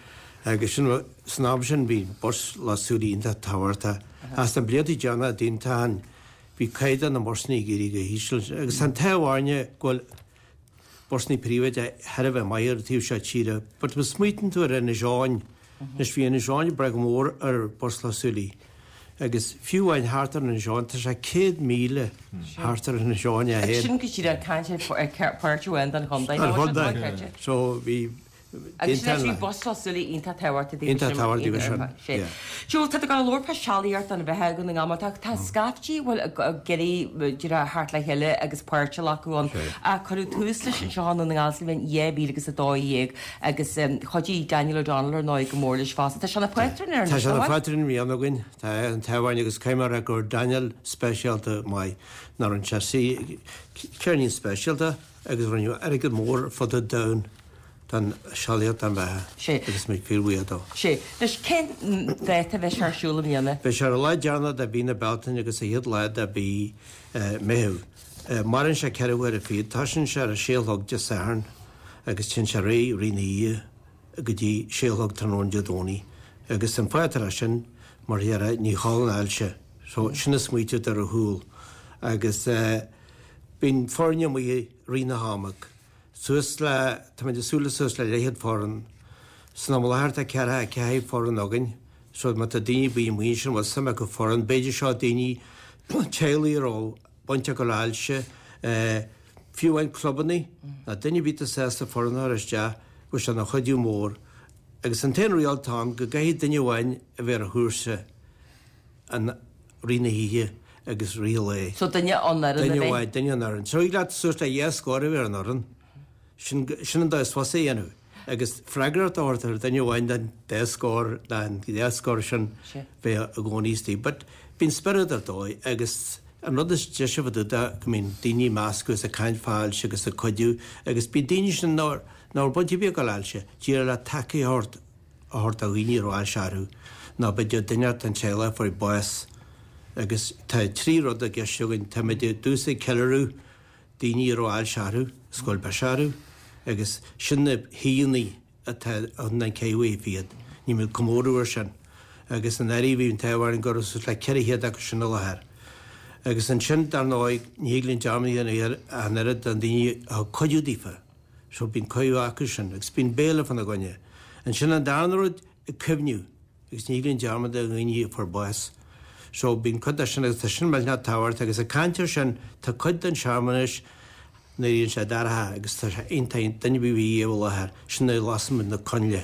Agus sin san am sin bhí bus Loch Súilí iontach tábhachtach. Ach sna blianta deireanacha d'aontaithe bhí caighdeán na mbusanna ag éirí go híseal. Agus tá an t-ádh orainne go bhfuil busanna príobháideacha thar a bheith maith ar an taobh seo tíre. But má smaoitíonn tú ar Inis Eoghain, anois bhí Inis Eoghain ag brath go mór ar bus Loch Súilí. Agus fiú amháin thart ar Inis Eoghain, tá sé céad míle thart ar Inis Eoghain é féin. Sin go díreach caint ar páirt amháin den chontae. An chontae. So bhí Agus sin é bus súlí iontach tábhachtach daoibh Iontach tábhachtach daoibh sin, yeah. Joe, tá tú ag labhairt fá sealaíocht an bheatha Dhún na nGall mar tá tá scaifte bhfuil ag iarraidh díreach theacht le chéile agus páirt a ghlacadh ann. Ach cuireadh tús leis anseo i nDún na nGall sa bhliain dhá mhíle agus a dó dhéag agus chuidigh Daniel O'Donnell ar ndóigh go mór leis fosta. Tá sé ina phátrún air Tá anois, sé ina nach bhfuil? phátrún i mbliana againn. Tá an t-ádh orainn agus caithfidh mé a rá go raibh Daniel speisialta maith. Ná rinne sé ceirnín speisialta agus rinneadh airgead mór ar fud an domhain don sealaíocht don bheatha Sé. agus muid fíorbhuíoch dó. Sé. Anois cén dáta a bheidh sé ar siúl i mbliana? Beidh sé ar an lá deireanach de mhí na Bealtaine agus an chéad lá de mhí Meitheamh. Maireann sé ceithre huaire fichead. Tosaíonn sé ar a sé a chlog Dé Sathairn agus téann sé ar aghaidh rith na hoíche go dtí sé a chlog tráthnóna Dé Domhnaigh. Agus an fáth atá leis sin, mar dhea, ní chodlann ailse. So sin an smaoitiú atá ar siúl. Agus bíonn foirne amuigh i rith na hama. Suas le, táimid ag súil le suas le leathchéad foireann. San am i láthair tá ceathracha a ceathair foireann againn, so má tá daoine ar bith amuigh ansin a bhfuil suim acu foireann, b'fhéidir seo daoine, teaghlaigh a raibh baint acu le hailse, fiú amháin clubanna, nó duine ar bith atá sásta foireann a chur isteach, bheadh sé ina chuidiú mór. Agus an t-aon riail atá ann, go gcaithfidh duine amháin a bheith ar an chúrsa an rith na hoíche agus rith an lae. So duine an fhoireann a Duine bheith. amháin, duine an fhoireann. So thig leat suas le dhá scór a bheith ar an fhoireann. Sin, sin an dóigh is fusa a dhéanamh. Agus freagracht a thabhairt ar duine amháin den dá scór, den dhá scór sin bheith i gcónaí istigh. But bíonn spiorad ar dóigh agus an rud is deise fá dtaobh de go mbíonn daoine ag meascadh is ag caint fá ailse agus ag cuidiú agus bíonn daoine sin nár, nach raibh baint ar bith acu le ailse, díreach le tacaíocht a thabhairt do dhaoine a raibh ailse orthu nó b'fhéidir duine den teaghlach a fuair bás agus tá trí rud i gceist againn, táimid i dtús ag ceiliúradh daoine a raibh ailse orthu, is go bhfuil biseach orthu agus sin na hoícheanna atá ann an ceathrú oíche fichead. Nímid ag comóradh air sin agus anuraidh bhí an t-ádh orainn go raibh suas le ceithre chéad acu sin i láthair. Agus ansin dar ndóigh ní thig linn dearmad a dhéanamh ar an oiread de dhaoine a thug cuidiú daofa. So bíonn cuidiú acu sin agus bíonn béile fána gcoinne. Ansin an darna rud, ag cuimhniú agus ní thig linn dearmad ar dhaoine a fuair bás. So bíonn cuid de sin agus tá sin millteanach tábhachtach agus ag caint air sin tá cuid den searmanas nuair a bhíonn sé dorcha agus tá sé iontach duine ar bith a bhí i láthair, sin nuair a lasann muid na coinnle.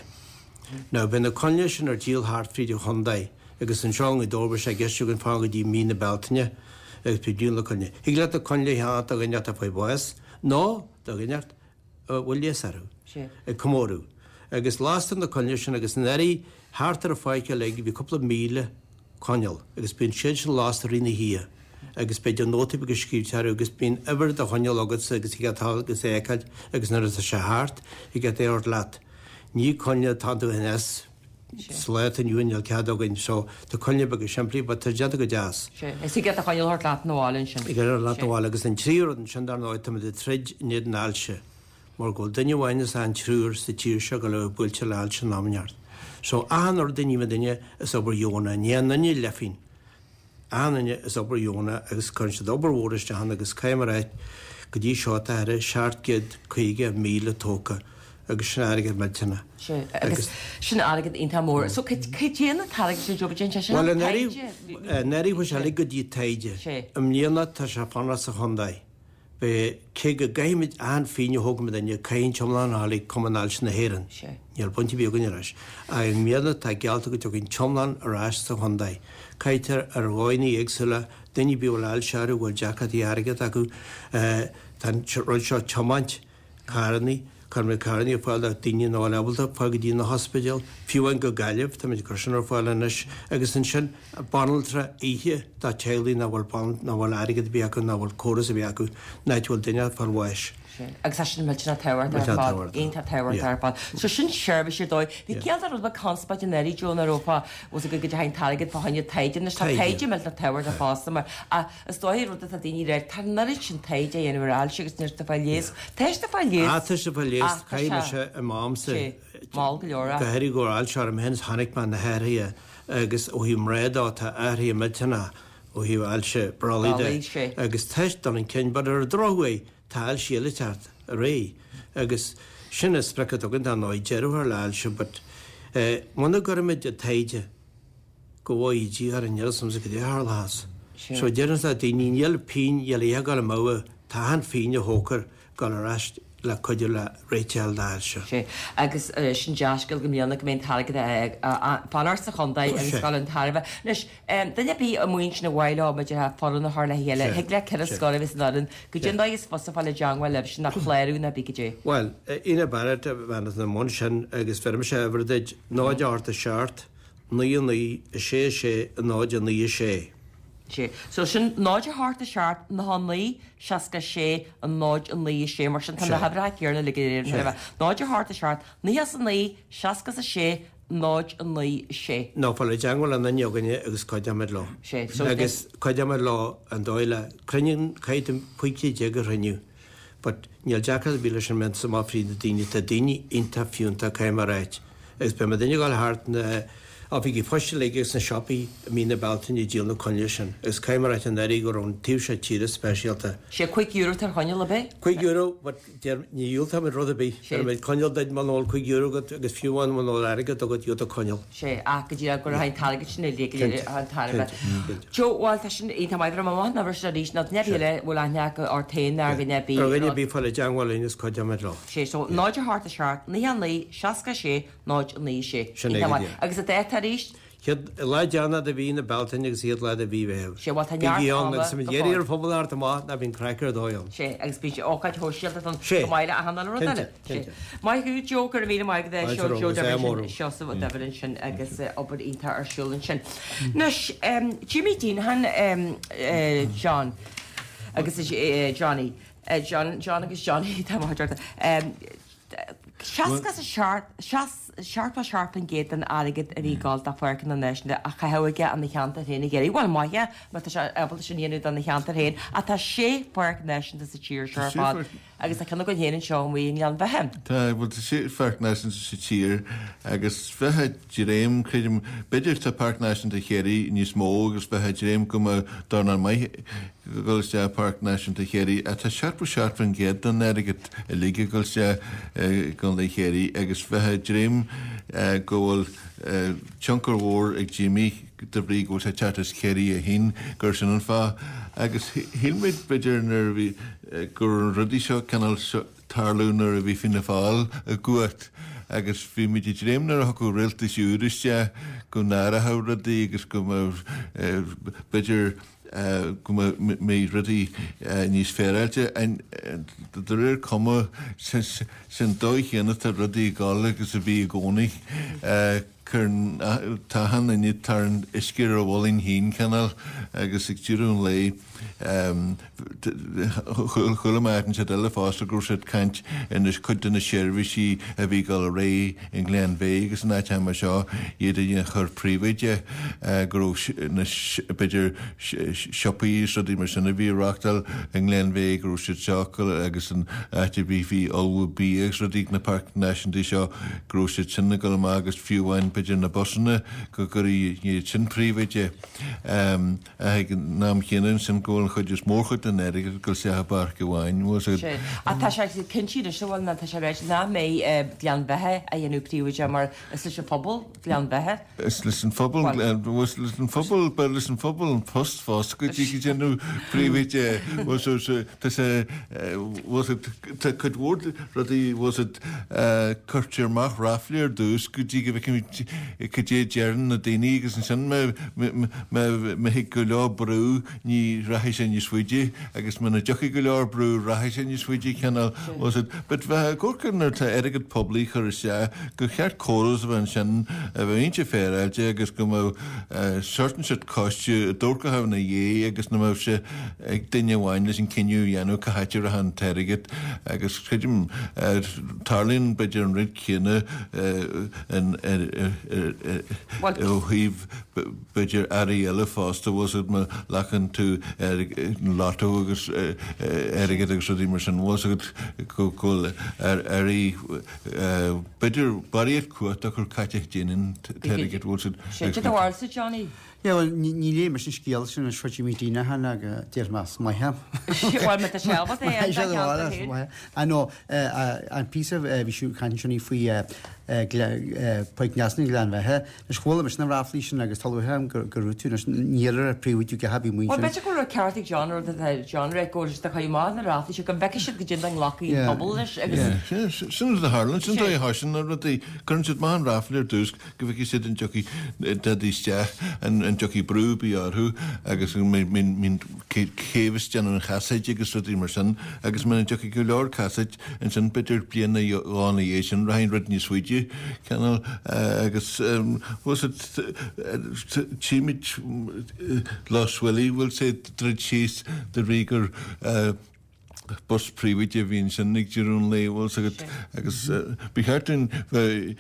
Now beidh na coinnle sin ar díol thart fríd an chontae agus anseo i nGaoth Dobhair beidh sé i gceist againn fanacht go dtí mí na Bealtaine agus beidh díol na coinnle. Thig leat na coinnle a cheannacht do dhuine atá ag fáil bháis nó do dhuine a bhfuil leigheas orthu ag comóradh. Agus lastar na coinnle sin agus anuraidh thart ar an pháirc uilig bhí cúpla míle coinneal agus bíonn siad sin lasta i rith na hoíche agus b'fhéidir nótaí beaga scríte orthu agus bíonn uimhir do choinneal agatsa agus thig leat dul agus é a fheiceáil agus nuair atá sé thart thig leat é a thabhairt leat. Ní coinnle atá iontu anois sa lá atá inniu ann níl cead againn so tá coinnle beaga simplí but tá déanta go deas. Sea, is thig leat do choinneal a thabhairt leat 'na bhaile ansin. Thig leat a thabhairt leat 'na bhaile agus an tríú rud ansin dar ndóigh táimid ag troid in éadan ailse. Mar go bhfuil duine amháin as achan triúr sa tír seo go bhfuil buailte le hailse in am inteacht. So achan rud a ní duine is obair dheonach, ní aon duine leifín. Achan duine is obair dheonach agus cuireann siad obair mhór isteach ann agus caithfidh mé a rá go dtí seo tá thar seacht gcéad caoga míle tógtha agus sin airgead millteanach. Sea, agus sin airgead iontach mór. So cad é an t-airgead sin Joe, déan sé sin Bhuel, taighde? anuraidh chuaigh sé uilig go dtí taighde. I mbliana tá sé ag fanacht sa chontae. Beidh, cé go gcaithfimid achan phingin a thógann muidinne, caithfidh an t-iomlán a dhul ag Cumann Ailse na hÉireann. Níl baint ar bith againn leis. Ach i mbliana tá geallta go dtiocfaidh an t-iomlán ar ais sa chontae. Caitear ar dhóigheanna éagsúla, daoine ar bith a bhfuil ailse orthu, a bhfuil deacrachtaí airgid acu, tá an rud seo tiomáint carrannaí, cuirimid carrannaí ar fáil do daoine nach bhfuil ábalta fáil go dtí na hospidéil, fiú amháin go Gaillimh, táimid ag cur sin ar fáil anois, agus ansin banaltra oíche do teaghlaigh nach bhfuil nach bhfuil airgead ar bith acu, nach bhfuil córas ar bith acu, an áit a bhfuil duine ag fáil bháis. Sin. Agus tá sin millteanach tábhachtach ar fad, iontach tábhachtach ar fad. So sin seirbhís ar dóigh. Bhí ciall de rud beag conspóid anuraidh Joe nach raibh fá, bhfuil go dteachaigh an t-airgead fá choinne taighde anois, tá taighde millteanach tábhachtach fosta mar ach is dóigh rud atá daoine ag rá, tá an oiread sin taighde á dhéanamh ar ailse agus níl siad ag fáil leigheas. Tá siad ag fáil leigheas. Ah, tá siad ag fáil leigheas. Chaith mise i m'amsa. Mall go leor. Go háirithe go raibh ailse orm féin is chonaic mé na hathruithe agus ó thaobh mná de tá athruithe millteanacha ó thaobh ailse brollaigh de agus tá siad dul chun cinn but ar an drochuair tá ailse eile ag teacht ar aghaidh agus sin an sprioc atá againn dar ndóigh deireadh a chur le ailse but muna gcuirimid an taighde go bhfuil ídí ar an níl sa go tharlás. So deireann sa daoine níl pingin níl a gabháil amú tá an phingin a thógtar ag dul ar ais le cuidiú le réiteáil d'áil seo. Sé agus sin deascail go mbliana go mbíonn t-airgead fanacht sa chontae agus dul chun tairbhe. Anois duine ar bith amuigh ansin a mhaith leo muid a foireann a chur le chéile, thig le ceithre scoil a bheith san fhoireann, goidé an dóigh is fusa fáil i dteangmháil libh sin ná clárú ná bí go dté. Bhuel, Ina Barrett a bhean na mbun sin agus bheirimse uimhir duit náid ocht a seacht, naoi naoi a sé sé náid a naoi a sé. Sé. So sin náid a hocht a seacht naoi naoi seasca sé a náid a naoi a sé mar sin tá na huimhreacha céanna le go léir. Náid a hocht a seacht naoi a naoi seasca a sé náid a naoi a sé. Ná fáil i dteangmháil le duine againne agus cuideoimid leo. Sé. So Agus cuideoimid leo an dóigh le cruinniú caithfidh cúig déag déag a chruinniú. But níl deacracht ar bith leis an mbean sa fríd na daoine tá daoine iontach fiúntach caithfidh mé a ráit. Agus beidh mo duine ag dul thart na oifigí poist uilig agus na siopaí i mí na Bealtaine ag díol na coinnle sin. Agus caithfidh mé a ráit an éirí go raibh an taobh seo tíre speisialta. Sé cúig euro ar choinneal ar bith? Cúig euro, but deir ní dhiúltóimid rud ar bith. Sé. Beidh coinneal duit muna bhfuil cúig euro agat agus fiú amháin muna bhfuil airgead agat gheobhaidh tú coinneal. Sé, ach go díreach go raibh an t-airgead sin uilig go léir an tairbhe. Joe, bhuel tá sin iontach maith, bhí mé maith an uair sin arís, nó duine ar bith eile a bhfuil aithne acu ort féin nó ar dhuine ar bith. Ar dhuine ar bith fáil i dteangmháil linn is cuideoimid leo. Sé, so náid a hocht a seacht, naoi a naoi, seasca a sé, náid a naoi a sé. Sin é Iontach go maith. díreach. Agus an dáta arís? Chéad lá deireanach de mhí na Bealtaine agus chéad lá de mhí Mheitheamh. Sé, bhuel tá neart Bígí ann ama agus muid go iarraidh fóill. ar phobal thart amach ná bíonn craic ar dóigh ann. Sé, agus bíonn sé ócáid shóisialta don Sé. go maith le achan uile rud Cinnte, eile. Sé. cinnte. Maith thú, Joe, go raibh míle maith agat é Fáilte seo, romhat, Joe is é Devlin mór. Seosamh Devlin sin agus eh, obair iontach ar siúl ansin. Anois, um, Jimmy Deenihan, um, uh, John, agus is, uh, Johnny, uh, John, John agus Johnny, tá maith orthu. Um, Seasca is a seacht seachtó seacht faoin gcéad den airgead a bhí ag dul do pháirceanna náisiúnta a chaitheamh aige ina cheantar féin ag iarraidh. Bhuel maith é, má tá sé ábalta sin a dhéanamh dona cheantar féin, ach tá sé pháirc náisiúnta sa tír seo ar Sé fad. pháirc- Agus tá ceann againn féin anseo amuigh i nGleann Bheatha. Tá bhuel tá sé pháirc náisiúnta sa tír agus bheith ag dréim creidim b'fhéidir tá Páirc Náisiúnta Chiarraí níos mó agus bheith ag dréim go mbeadh dornán maith go dul isteach Páirc Náisiúnta Chiarraí ach tá seachtó seacht faoin gcéad den airgead uilig ag dul isteach i gContae Chiarraí agus bheith ag dréim eh, go bhfuil eh, tionchar mhór ag Jimmy de bhrí go bhfuil sé teacht as Ciarraí a haon gur sin an fáth agus shíl muid b'fhéidir nuair a bhí eh, go raibh an rudaí seo cineál seo tarlú nuair a bhí Fianna Fáil i gcumhacht agus bhí muid ag dréim nuair a thiocfadh rialtas úr isteach go n-athródh rudaí agus go mbeadh eh, b'fhéidir eh, go mbeidh rudaí eh, níos féaráilte de réir cuma sin sin dóigh chéanna tá rudaí ag dul agus a bhí i gcónaí. Eh, Cuireann tá an duine tar an uisce ar a mhullin féin cineál agus ag deireadh an lae chuala mé an siad eile fosta go raibh siad caint ina cuid de na seirbhísí a bhí ag dul ar aghaidh i nGleann Bheatha agus an áit mar seo iad a chur príobháideach go raibh na b'fhéidir siopaí is rudaí mar sin a bhí reáchtáil i nGleann Bheatha go raibh siad seo agus an áit a bhí bhí ullmhú bia agus rudaí na páirc náisiúnta seo go raibh siad sin ag dul amach agus fiú amháin b'fhéidir na busanna go gcuirfí iad sin príobháideach ag an am chéanna sin go bhfuil an chuid is mórchuid den airgead go isteach i bpáirc amháin. Sé. Ach tá sé cinnte anois bhfuil ná tá sé réit nach mbeidh Gleann Bheatha a dhéanamh príobháideach mar is leis an phobal Gleann Bheatha. Is leis an phobal was leis an phobal ba leis an phobal an post fosta go dtí go déanamh príobháideach was tá sé was tá cuid mhór rudaí was it cuirtear amach ráflaí ar dtús go dtí go bhfeicimid cad é deireann na daoine agus ansin má thig go leor brú ní rachaidh sé níos faide agus muna dtiocfaidh go leor brú rachaidh sé níos faide cineál was it but bheith gcóir nuair tá airgead poiblí chur isteach gur cheart córas a bheith ansin a bheith iontach féaráilte agus go mbeadh certain set coiste dúrcatha ina dhiaidh agus na mbeadh sé ag duine amháin leis an cinneadh a dhéanamh cá háit a raibh an t-airgead agus creidim tarlaíonn b'fhéidir an rud céanna ó thaobh b'fhéidir airí eile fosta was it má ghlacann tú lotto agus airgead agus rudaí mar sin was it go bhfuil airí b'fhéidir barraíocht cumhacht a chur caite déanann t-airgead was it Sé do bharúilsa Johnny. Yeah, well, ní ní léigh mise an scéal sin is fuair mé daoine cheana agus deir mé is maith é. Bhuel, má tá sé ábalta é, tá ceann féin. I know, an píosa bhí siú caint ansin faoi Páirc Neasa na Gleann Bheatha. Anois chuala mise na ráflaí sin agus tá luaithe agam go raibh tú anois níl ar príomhoide go haibí Bhuel, muintir. b'fhéidir go raibh ceart ag John rud atá John rá go bhfuil siad ag cur amach na ráflaí seo go bhfeicfidh siad goidé dá nglacfaidh an pobal leis agus Yeah, sin rud a tharlaíonn, sin dóigh a thosaíonn na rudaí. Cuireann siad amach an ráfla ar dtús go bhfeicfidh siad an dtiocfaidh daidí isteach, an dtiocfaidh brú ar bith orthu agus an mbíonn céibh is déanamh an chasaoid agus rudaí mar sin agus muna dtiocfaidh go leor casaoid ansin b'fhéidir bliain nó dhó ina dhiaidh sin rachaidh an rud níos faide cineál agus bhfuil siad tchímid Lough Swilly bhfuil sé druid síos de bhrí gur bus príobháideach a bhí ansin ag deireadh an lae, bhfuil 's agat, agus ba cheart dúinn bheith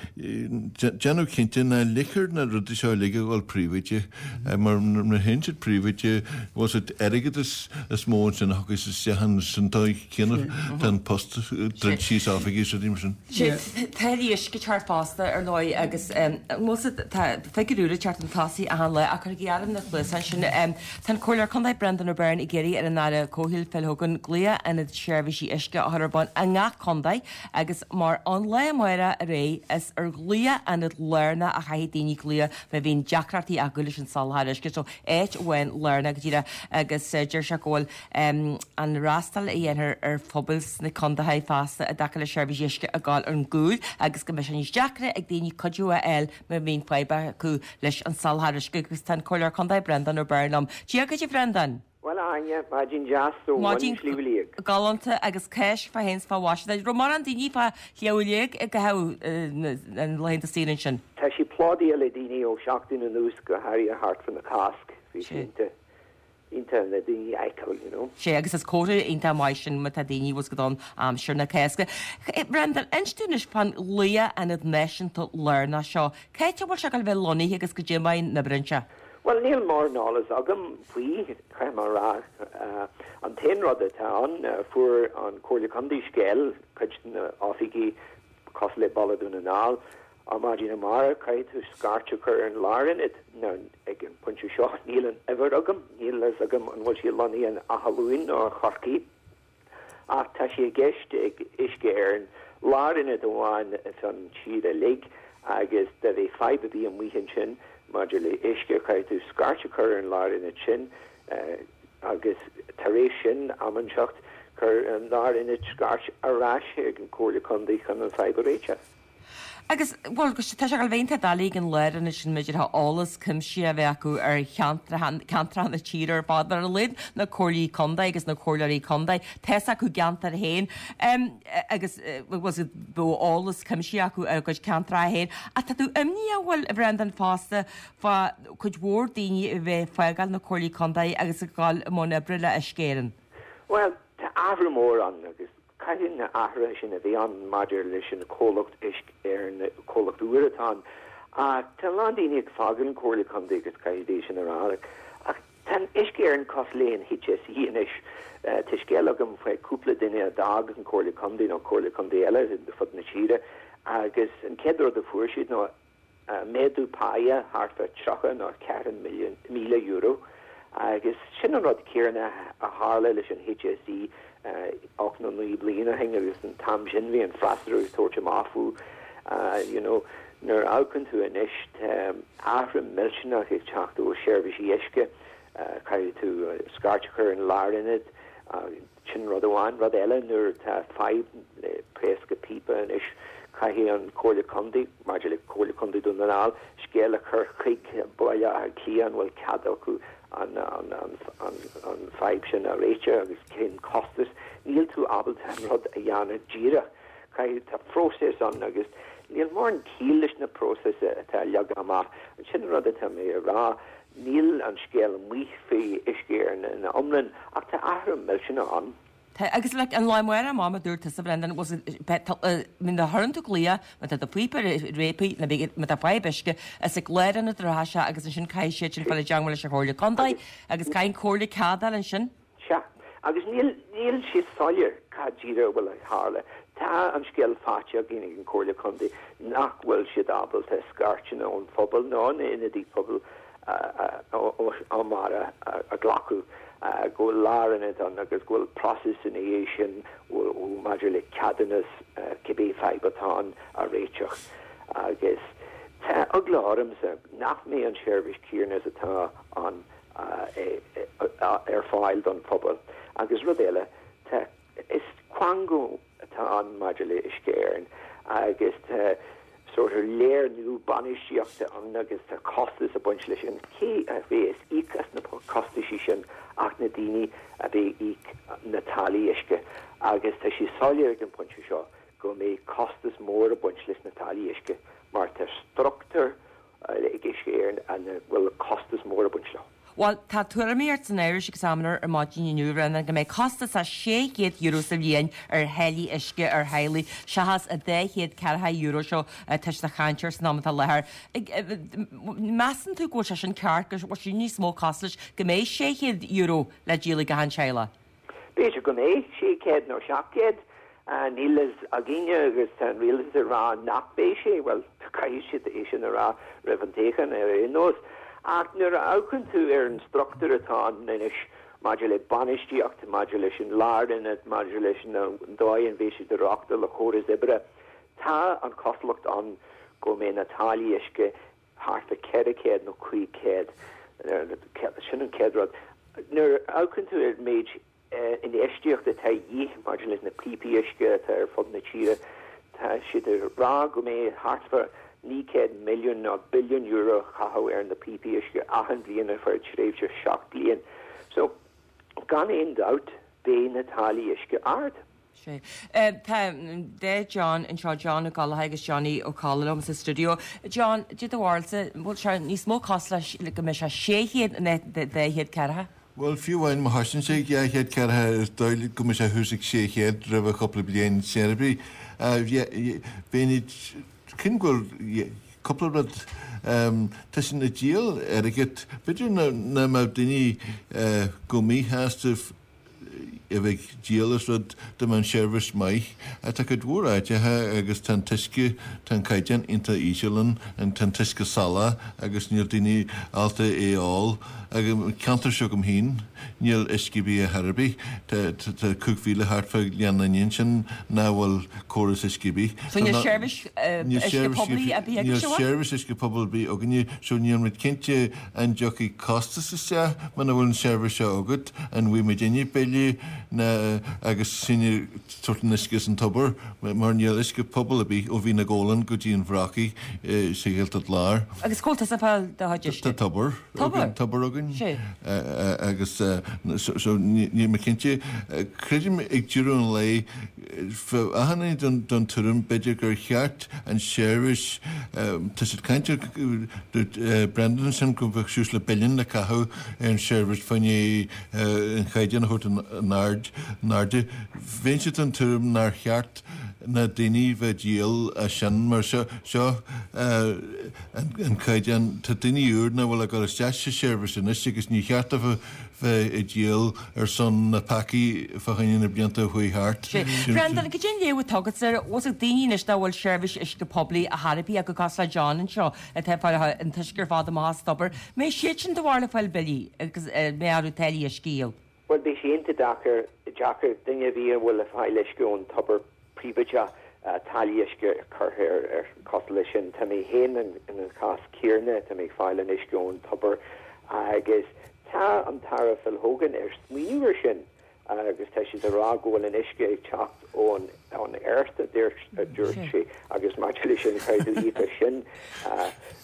déanamh cinnte ná ligtear na rudaí seo uilig a dhul príobháideach, mar nuair a théann siad príobháideach, bhfuil 's agat, airgead is mó ansin a thiocfas isteach ansin dóigh céanna tá an post druid síos oifigí is rudaí mar sin. Sé táillí uisce ag teacht fosta ar ndóigh agus bhfuil 's agat, tá figiúr úr ag teacht chun tosaigh achan lá ach cuirigí airm na cluasáin sin. Tá an Comhairleoir Contae Brendan O'Byrne ag iarraidh ar an Aire Comhshaoil Phil Hogan glao ionad seirbhísí uisce a chur ar bun i ngach contae agus mar ón lá amárach ar aghaidh is ar ghlaio ionad lárnach a chaithfidh daoine glaoch má bhíonn deacrachtaí acu leis an soláthar uisce. So áit amháin lárnach go díreach agus deir sé go bhfuil an fhreastal a dhéanfar ar phobail sna contaetha feasta i dtaca le seirbhísí uisce ag gabháil ar an gcúl agus go mbeidh sé níos deacra ag daoine cuidiú a fháil má bhíonn fadhb acu leis an soláthar uisce agus tá an Comhairleoir Contae Brendan O'Byrne liom. Dia dhuit a Bhrendan! Bhuel, a Áine, maidin deas ó bhun Shliabh Liag. Galánta agus Cáisc fá fhéin 's fá mhaise duit. Raibh mórán daoine fá Shliabh Liag i gcaitheamh na laethanta saoire ansin? Tá sí plódaithe le daoine ó sheachtain anuas, go háirithe thart fá na Cásc. Bhí sé iontach, iontach na daoine a fheiceáil, you know. Sé, agus is comhartha iontach maith sin má tá daoine bhfuil 's agat ann aimsir na Cásca. Brendan, inis dúinn anois fán ghlaio ionad náisiúnta lárnach seo. Cá háit a bhfuil sé ag gabháil a bheith lonnaithe agus goidé mar a oibreoidh sé? Bhuel, níl mórán eolas agam faoi, caithfidh mé a rá. An t-aon rud atá ann, fuair an Comhairle Contae scéal, cuid de na oifigí cosúil le Baile Dhún na nGall, ar maidin amárach, caithfidh tú scairt a chur ar an lárionad. Now, ag an bpointe seo, níl an uimhir agam, níl a fhios agam an bhfuil sé lonnaithe in Áth Luain nó i Chorcaigh. Ach tá sé i gceist ag Uisce Éireann lárionad amháin san tír uilig agus dá mbeadh fadhb ar bith amuigh ansin maidir le uisce, caithfidh tú scairt a chur ar an lárionad sin agus tar éis sin, am inteacht, cuir an lárionad scairt ar ais ag an Comhairle Contae chun an fadhb a réiteach. Agus, bhuel, tá sé ag gabháil a bheith iontach doiligh ag an lárionad sin b'fhéidir eolas cuimsitheach a bheith acu ar cheantracha, ceantracha na tíre ar fad, ar a laghad na comhairlí contae agus na comhairleoirí contae, tá 'fhios acu a gceantar féin agus, bhuel, bheadh eolas cuimsitheach acu ar a gcuid ceantracha féin. Ach tá tú imníoch, bhuel, a Bhrendan, fosta fá cuid mhór daoine a bheith ag fágáil na comhairlí contae agus ag gabháil i mbun oibre le Uisce Éireann. Bhuel, tá athrú mór ann agus Caithfidh na athruithe sin a bheith ann maidir leis an comhlacht Uisce Éireann, comhlacht úr atá ann. Ach tá a lán daoine ag fágáil an Comhairle Contae agus caithfidh é sin a rá. Ach tá an Uisce Éireann cosúil le an HSE anois. Tá scéal agam faoi cúpla duine a d'fhág an Comhairle Contae nó Comhairle Contae eile ar fud na tíre agus an chéad rud a fuair siad ná méadú páighe thart fá tríocha nó ceathracha míle euro agus sin an rud céanna a tharla leis an HSE ocht nó naoi bliain ó shin agus an t-am sin bhí an freasúra ag tabhairt amach fúthu you know nuair a amharcann tú anois tá athrú millteanach ag teacht ó seirbhísí uisce caithfidh tú scairt a chur ar an lárionad Sin rud amháin. Rud eile, nuair atá fadhb le pléascadh píopa anois, caithfidh an Comhairle Contae, maidir le Comhairle Contae Dún na nGall, scéal a chur chuig Baile Átha Cliath an bhfuil cead acu an an fadhb sin a réiteach agus cén costas. Níl tú ábalta an rud a dhéanamh díreach. Caithfidh, tá próiseas ann agus níl mórán ciall leis na próisis atá leagtha amach. Sin an rud atá mé a rá. Níl an scéal amuigh faoi Uisce Éireann ina iomlán ach tá athrú millteanach ann. Tá, agus like an lá amárach amach mar a dúirt tusa Brendan, was it, má chuireann tú glaoch, má tá do phíopa réabtha, nó má tá fadhb uisce, is ag lárionad a rachaidh sé agus ansin caithfidh siad sin fáil i dteangmháil leis an Chomhairle Contae agus caithfidh an Chomhairle cead a fháil ansin. Sea, agus níl, níl sé soiléir cad díreach a bhfuil ag tharla. Tá an scéal faighte againn ag an Chomhairle Contae nach bhfuil siad ábalta scairteanna ón phobal nó na ionadaí pobail ó mara a ghlacadh go bhfuil lárionad ann agus go bhfuil process ina dhiaidh sin maidir le ceadúnas cibé fadhb atá ann a réiteach agus tá eagla ormsa nach mbeidh an seirbhís céanna is atá ann ar fáil don phobal. Agus rud eile, tá is quango atá ann maidir le Uisce Éireann agus tá sort of léir nua bainistíochta ann agus tá costas ag baint leis sin. Cé a bheas ag íoc as na costaisí sin ach na daoine a bheidh ag íoc na táillí uisce agus tá sé soiléir ag an bpointe seo go mbeidh costas mór ag baint leis na táillí uisce mar tá struchtúr ag Uisce Éireann a bhfuil costas mór ag baint leo. Bhuel, tá tuairimíocht san Irish Examiner ar maidin inniu, Bhrendan, go mbeidh costas a sé chéad euro sa bhliain ar tháillí uisce ar theaghlaigh, seachas an dá chéad ceathracha euro seo atá siad ag caint air san am atá i láthair. Measann tú go bhfuil sé sin ceart, go bhfuil sé níos mó costais, go mbeidh sé chéad euro le díol ag achan teaghlach? B'fhéidir go mbeidh sé chéad nó seacht gcéad. Níl a fhios againne agus tá an rialtas ag rá nach mbeidh sé, bhuel, caithfidh siad é sin a rá roimh an toghchán ar aon nós. Ach nuair a amharcann tú ar an struchtúr atá ann anois maidir le bainistíocht, maidir leis an lárionad, maidir leis an dóigh an mbeidh siad ag reáchtáil a chóras oibre, tá an chosúlacht ann go mbeidh na táillí uisce thart fá ceithre chéad nó cúig chéad. Sin an chéad rud. Nuair a amharcann tú ar an méid infheistíocht atá de dhíth maidir leis na píopaí uisce atá ar fud na tíre. Tá siad ag rá go mbeidh thart fá naoi gcéad milliún nó billiún euro a chaitheamh ar na píopaí uisce achan bhliain ar feadh tréimhse seacht bliain. So, gan aon dabht, beidh na táillí uisce ard. Sea. Tá dá John anseo, John Ó Gallchóir agus Johnny Ó Colla liom sa stiúideo. John, cad é do bharúilsa, an bhfuil sé níos mó cosúil leis go mbeidh sé sé chéad ná dhá chéad ceathracha? Bhuel, fiú amháin má thosaíonn sé ag dhá chéad ceathracha, is dóigh go mbeidh sé thuas ag sé chéad roimh chúpla bliain sin ar bith. Bheinn cinnte go bhfuil cúpla rud, tá sin ag díol airgead. B'fhéidir nach mbeadh daoine go míshásta a bheith ag díol as rud dá mbeadh an seirbhís maith. Tá cuid mhór áiteacha agus tá an t-uisce, tá an caighdeán iontach íseal ann, tá an t-uisce salach agus níl daoine ábalta é a ól. Ag an ceantar seo agam féin níl uisce ar bith ar chor ar bith. Tá cúig mhíle thart fá Ghleann Fhinne ansin nach bhfuil córas uisce ar bith. So níl seirbhís uisce poiblí ar bith agaibh, Níl seirbhís uisce pobail ar bith againne so níl muid cinnte an dtiocfaidh costas isteach muna bhfuil an seirbhís seo agat, an bhfaighidh muidinne bille na agus sinn ag tabhairt an uisce as an tobar mar níl uisce pobail ar bith ó Mhín na Gabhlan go dtí an Bhrocaigh sa Ghaeltacht Láir. Agus cá bhfuil tusa ag fáil do chuid uisce? Tá tobar againn, tobar againn agus so níl mé cinnte. Creidim ag deireadh an lae bheadh achan duine den tuairim b'fhéidir gur cheart an seirbhís, tá siad ag caint ar, dúirt Brendan ansin go mbeadh suas le billiún le caitheamh ar an seirbhís fá choinne an chaighdeán a thabhairt in airde. Bheinnse den tuairim nár cheart na daoine bheith ag díol as sin mar seo seo an caighdeán. Tá daoine úr nach bhfuil ag dul isteach sa seirbhís anois agus ní cheart dóibh bheith ag díol ar son na peacaí fá choinne na blianta a chuaigh thart. Brendan, cad é an léamh atá agatsa air, bhfuil ag daoine anois nach bhfuil seirbhís uisce poiblí ar chor ar bith acu cosúil le John anseo atá ag fáil an t-uisce ar fad amach as tobar. Mbeidh siad sin do bharúil ag fáil billí agus mbeidh orthu táillí uisce a dhíol? Bhuel, beidh sé iontach deacair, deacair duine ar bith a bhfuil ag fáil uisce ón tobar príobháideach táillí uisce a chur air, ar cosúil leis sin. Tá mé féin in an chás céanna, tá mé ag fáil an uisce ón tobar agus tá an tAire Phil Hogan ar smaoineamh ar sin agus tá siad ag rá go bhfuil an uisce ag teacht ón ón earth, a dúirt a dúirt sé, agus maidir leis sin, caithfidh tú íoc as sin.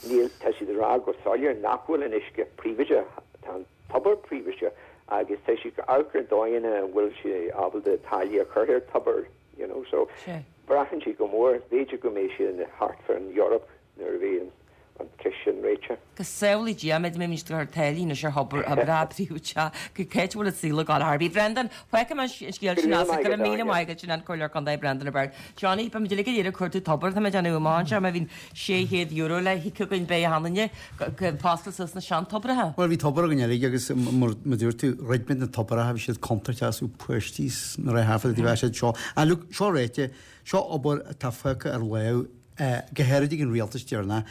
Níl, tá siad ag rá go soiléir nach bhfuil an uisce príobháideach, tá an tobar príobháideach agus tá siad ag amharc ar dóigheanna an bhfuil sé ábalta táillí a chur ar tobar, you know, so braitheann sé go mór, b'fhéidir go mbeidh sé thart fá an Eoraip nuair a bheidh an ceist sin réitithe. Go samhlaí Dia, mbeidh muid ag cur táillí anois ar thobar breá príobháideach, go cá háit a bhfuil an saol ag gabháil ar bith. Brendan, fágfaidh mé an scéal sin as, go raibh míle maith agat, sin an Comhairleoir Contae Brendan Ó Beirn. Johnny, beidh muid uilig ag iarraidh cuartú tobar, tá mé ag déanamh amach anseo, má bhíonn sé chéad euro le híoc againn beidh achan duine ag oscailt suas na seantobracha. Bhuel bhí tobar againn uilig agus mar a dúirt tú, dhruid muid na tobracha, bhí siad contúirteach is páistí 's na rith half of the siad seo. Ah look, seo ráite, seo obair atá fágtha ar láimh Go háirid ag an rialtas deireanach.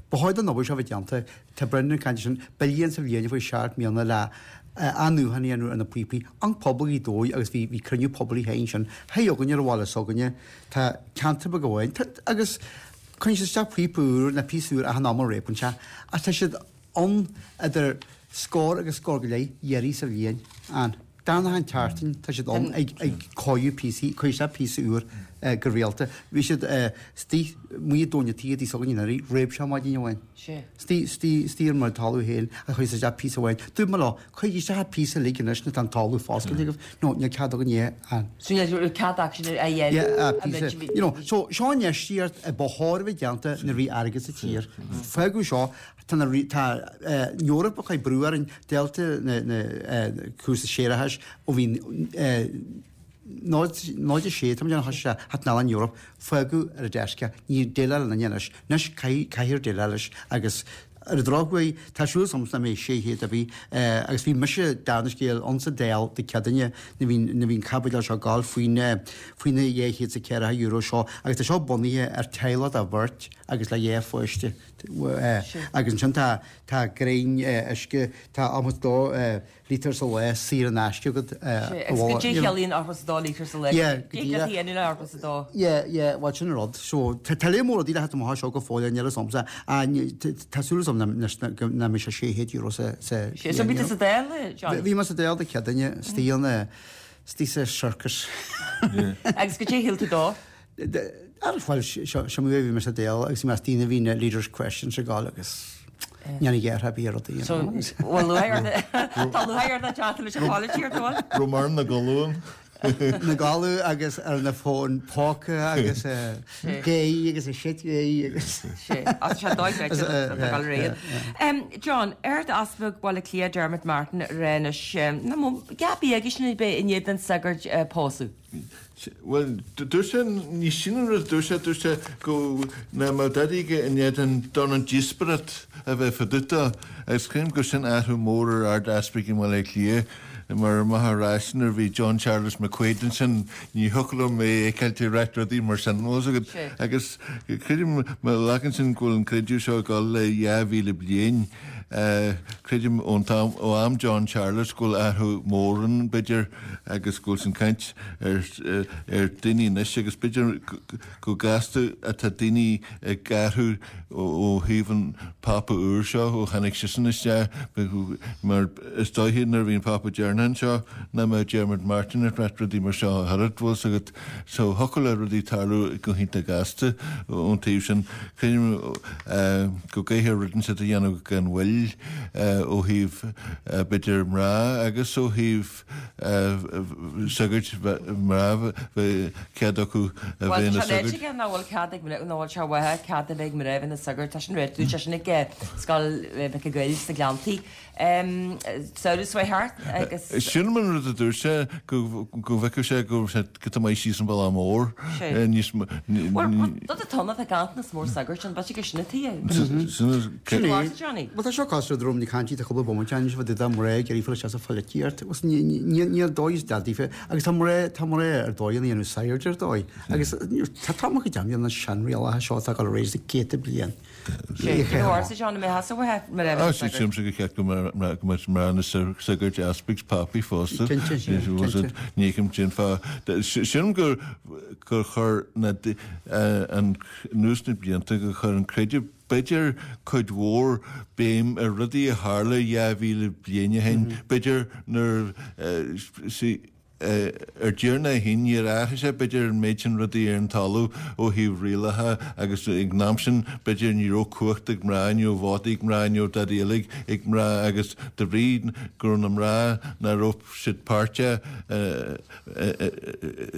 Ba chóir don obair seo a bheith déanta, tá Brendan ag caint sin, billiún sa bhliain faoi seacht mbliana le athnuachan a dhéanamh ar na píopaí, an pobal Ghaoth Dobhair agus bhí bhí cruinniú poiblí féin sin, hé againne ar an bhaile s'againne, tá ceantar beag amháin, tá agus cuireann siad isteach píopa úr nó píosa úr achan am a réabann sé, ach tá siad ann idir scór agus scór go leith iarraidh sa bhliain. An darna an tseachtain tá siad ann ag ag cóiriú píosaí, cuireann siad píosa úr go rialta. Bhí siad istigh amuigh i dtóin an tí a dtí s'againne anuraidh, réab sé maidin amháin. Istigh istigh istigh ar mo talamh féin a chuir siad isteach píosa amháin. Dúirt mé leo, cuirigí isteach an píosa uilig anois nuair atá an talamh foscailte agaibh. No, níl cead againn é a. So níl cead acu sin a dhéanamh. Yeah, píosa. You know, so seo an infheistíocht a ba chóir a bheith déanta nuair a bhí airgead sa tír. Fágadh seo Tá na tá an Eoraip ag cur brú orainn, deilte na na cúrsa séarachais ó bhí náid náid a sé tá muid ann sé hat an Eoraip fágadh ar a deisce ní déileáil linn anois anois caithfidh caithfear déileáil leis agus ar an drochuair tá súil agam nach mbeidh sé chéad ar bith agus bhí mise darna scéal ann sa Dáil Dé Céadaoine nuair bhí nuair bhí an caibidil seo ag gabháil faoin faoi na dhá chéad is a ceathracha euro seo agus tá seo bunaithe ar teaghlach de bheirt agus le dhá pháiste. Agus ansin tá tá greim uisce, tá ochtó dó lítear sa lá saor in aisce agat. Sea, agus goidé chiallaíonn ochtó is a dó lítear sa lá? Yeah, go Cé díreach. a dhéanann le ochtó is a dó? Yeah, yeah, bhuel sin an rud. So tá tá léar mór rudaí le theacht amach as seo go fóill, níl fhios a'msa. Ah, tá súil agam nach mbeidh sé sé chéad euro sa sa Sea, so bhí tú sa Dáil, Johnny? Bhí mé sa Dáil Dé Céadaoine, istigh an istigh sa circus. Agus goidé shíl tú dó? Ar bhuel seo seo bhí mé sa Dáil agus bhí mé istigh nuair a bhí na leaders questions ag gabháil agus ní dhéarfá ar bith ar rudaí. So bhfuil lúcháir ort tá lúcháir ort teacht leis an pholaitíocht, an bhfuil? Raibh mar na gcolún. Na galú agus ar na fón póca agus gay agus a shit gay agus. Sé as sé dóigh dul réad. John, Ard-Easpag Bhaile Átha Cliath Dermot Martin anois na mo gap agus sin be i ndiaidh don sagart pósadh. Bhuel, dúirt sé, ní sin an rud a dúirt sé, dúirt sé go nach mbeadh dadaí aige in éadan d'fhonn an díospóireacht a bheith fá dtaobh dó agus creidim gur sin athrú mór ar Ard-Easpag i mBaile Átha Cliath mar amach ar ais nuair a bhí John Charles McQuaid ansin ní thiocfadh liom é a fheiceáilt ag ráit rudaí mar sin bhfuil fhios agat agus creidim má ghlacann sin go bhfuil an creideamh seo ag dul le dhá mhíle bliain Creidim ón t-am, ó am John Charles go bhfuil athrú mór ann, b'fhéidir, agus go bhfuil san caint ar ar daoine anois agus b'fhéidir go gasta atá daoine ag athrú ó thaobh an Pápa úr seo, ó tháinig seisean isteach, mar is dóiche nuair a bhí an Pápa deireanach anseo nach mbeadh Dermot Martin ag ráit rudaí mar seo ach oiread, bhfuil 's agat. So thiocfadh le rudaí tarlú go hiontach gasta ón taobh sin. Creidim go gcaithfear rud inteacht a dhéanamh gan mhoill ó thaobh b'fhéidir mná agus ó thaobh sagairt mná bheith cead acu a Bhuel bheith tá ina sé ráite sagairt. aige nach bhfuil cead ag mná, nach bhfuil sé uathu cead a bheith ag mná bheith ina sagart. Tá sin ráite, dúirt sé sin ag Scoil Mhic an Ghoill sna Gleanntaí. Samhradh seo thart agus. Sin an rud a dúirt sé, go bhfeicfeadh sé go raibh sé giota maith síos an bealach mór níos mó. Bhuel, rud atá ann, tá ganntanas mór sagart ann, b'fhéidir gur sin atá é. Sin é. Johnny. Bhuel, tá seo cosúil le drom na cainte, tá cúpla bomaite ann, fá dtaobh de mná ag iarraidh fáil isteach sa pholaitíocht. Agus níl dóigh is daofa, agus tá mná, tá mná ar dóigh ina dhéanamh sagairt ar dóigh. Agus tá tá mo chuid am, na seanrialacha seo atá ag dul ar aghaidh le céadta bliain. Sílimse gur cheart go mbeadh mná ina sagairt easpaig 's pápaí fosta. Cinnte, cinnte. Ní fheicim cén fáth. Sílim gur gur chuir na anuas na blianta gur chuir an creideamh b'fhéidir cuid mhór béim ar rudaí a tharla dhá mhíle bliain ó shin, b'fhéidir nuair Ar deireadh na féin, níor athraigh sé, b'fhéidir, an méid sin rudaí ar an talamh ó thaobh rialacha agus ag an am sin, b'fhéidir, ní raibh cumhacht ag mná, ní raibh vótaí ag mná, ní raibh dadaí eile ag mná agus de bhrí go raibh na mná, nach raibh siad páirteach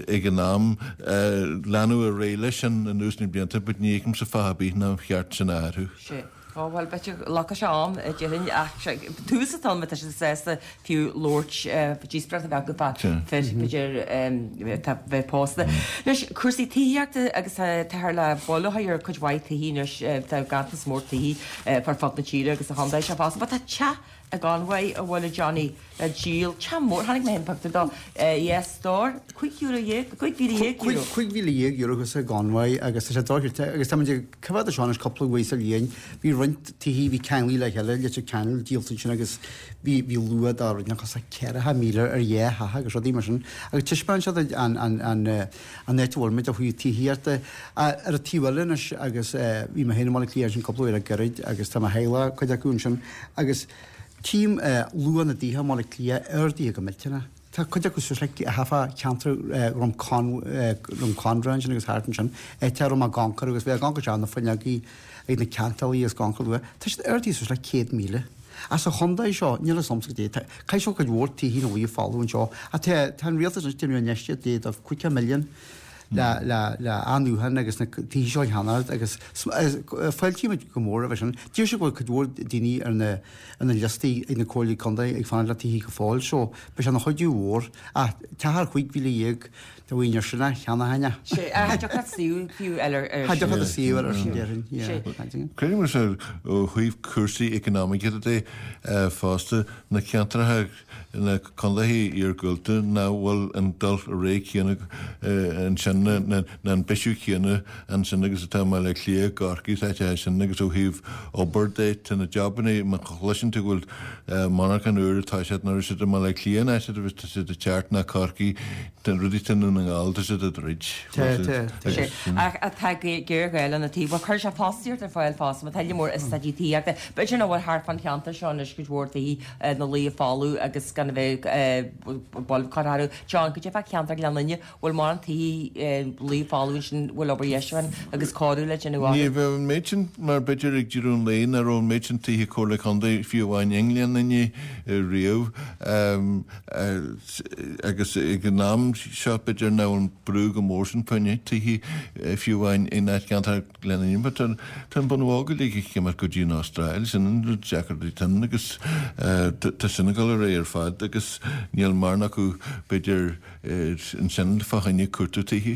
ag an am, leanadh ar aghaidh leis sin anuas na blianta but ní fheicimse fáth ar bith nár cheart sin a athrú. Ó, bhuel, b'fhéidir go nglacfaidh sé am, déarfainn, ach tús atá ann má tá siad sásta fiú labhairt, díospóireacht a bheith acu fá fir, b'fhéidir, atá bheith pósta. Anois, cúrsaí tithíochta agus táthar le buille a chur ar cuid mhaith tithí anois, tá ganntanas mór tithí ar fud na tíre agus sa chontae seo fosta, but tá teach i gConmhaigh a bhfuil a Johnny le díol teach mór tháinig mé an pictiúr dó yes store cúig euro dhéag cúig mhíle dhéag euro. Cúig mhíle dhéag euro thuas i gConmhaigh agus tá sé dochreidte agus tá muid ag coimhéad seo anois cúpla uair sa bhliain bhí roinnt tithe bhí ceanglaithe le chéile Leitir Ceanainn díolta ansin agus bhí bhí luach dá roinnt cos ceathracha míle ar dhá theach agus rudaí mar sin agus taispeánann siad an an an an áit a bhfuil muid ó thaobh tithíochta ar an taobh eile anois agus bhí mé féin i mBaile Átha Cliath ansin cúpla uair le gairid agus tá mo theaghlach cuid acu ansin agus tchím luach na dtithe i mBaile Átha Cliath ardaithe go millteanach. Tá cuid acu suas le hafa ceantar Drumcondra ansin agus thart ansin, áit a raibh mé ag amharc agus bhí ag amharc isteach na fuinneogaí ag na ceantálaí agus amharc luath. Tá siad ardaithe suas le céad míle. As an chontae seo, níl fhios a'msa goidé, caithfidh seo cuid mhór tithe na luí folamh anseo. Ach tá tá an rialtas anois déanamh infheistíocht de de cúig milliún le le le athnuachan agus na tithe seo a cheannacht agus fáiltímid go mór roimhe sin. Deir siad go bhfuil cuid mhór daoine ar na ar na liostaí ag na comhairlí contae ag fanacht le tithe go fóill so beidh sé ina chuidiú mhór. Ach teach ar chúig mhíle dhéag do dhaoine ar sin a cheannóinn é. Sé a deoch suí fiú eile ar Tá deoch suí ar sin déarfainn. Yeah. Creidim sé ó thaobh cúrsaí economic de fosta na ceantracha na contaetha iargúlta nach bhfuil an dul ré céanna ansin na an bisiú céanna ansin agus atá Baile Átha Cliath Corcaigh áite sin agus ó thaobh obair de tá na jabanna má chloiseann tú go bhfuil monarchan úr atá siad nuair siad i mBaile Átha Cliath an áit tá siad ag teacht ná Corcaigh tá rudaí tá na nGall tá siad ag troid. Sé ach atá géarghá na taobh chuir sé fostaíocht ar fáil fosta má tá mór is staidí tithíochta. B'fhéidir nach bhfuil thart fan cheantar seo anois cuid mhór tithe na luí folamh agus gan a bheith bolb curtha John go dtí ceantar Ghleann Fhinne bhfuil mar an tithe luí folamh sin bhfuil obair dheisiúcháin agus cóiriú le déanamh Ní bheith an méid sin mar b'fhéidir ag deireadh an lae nach raibh an méid sin tithe Comhairle Contae fiú amháin i nGleann Fhinne riamh agus ag an am seo b'fhéidir nach bhfuil an brú go mór sin faoin tithe fiú amháin in áit ceantar Ghleann Fhinne but tá an bunbhágáil ag céimear go dtí an Astráil sin an rud deacair tan agus tá sin ag dul ar aghaidh ar fad agus níl mar acu b'fhéidir ansin fá choinne cuartú tithe.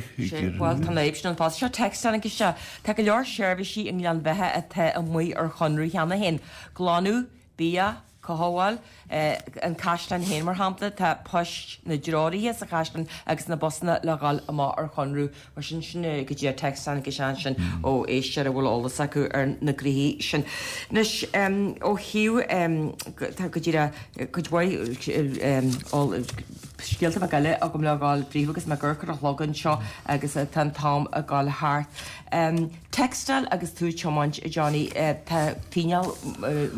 Well tá na sin an fás seo text agus se Tá go leor seirbhísí i nGleann Bheatha atá amuigh ar chonradh cheana féin. Glanadh, bia, cothabháil, an caisleán féin mar shampla tá poist na dtreoraithe sa chaisleán agus na busanna le dhul amach ar chonradh mar sin sin go dtí text go sean sin ó éisteoir a bhfuil eolas acu ar na gnoithí sin. Anois ó thaobh tá go dtí cuid mhaith scéalta beaga eile agam le dhul fríofa agus mé gur chur a chlog anseo agus tá an t-am ag dul thart. Textáil agus tú tiomáint Johnny tá fíneáil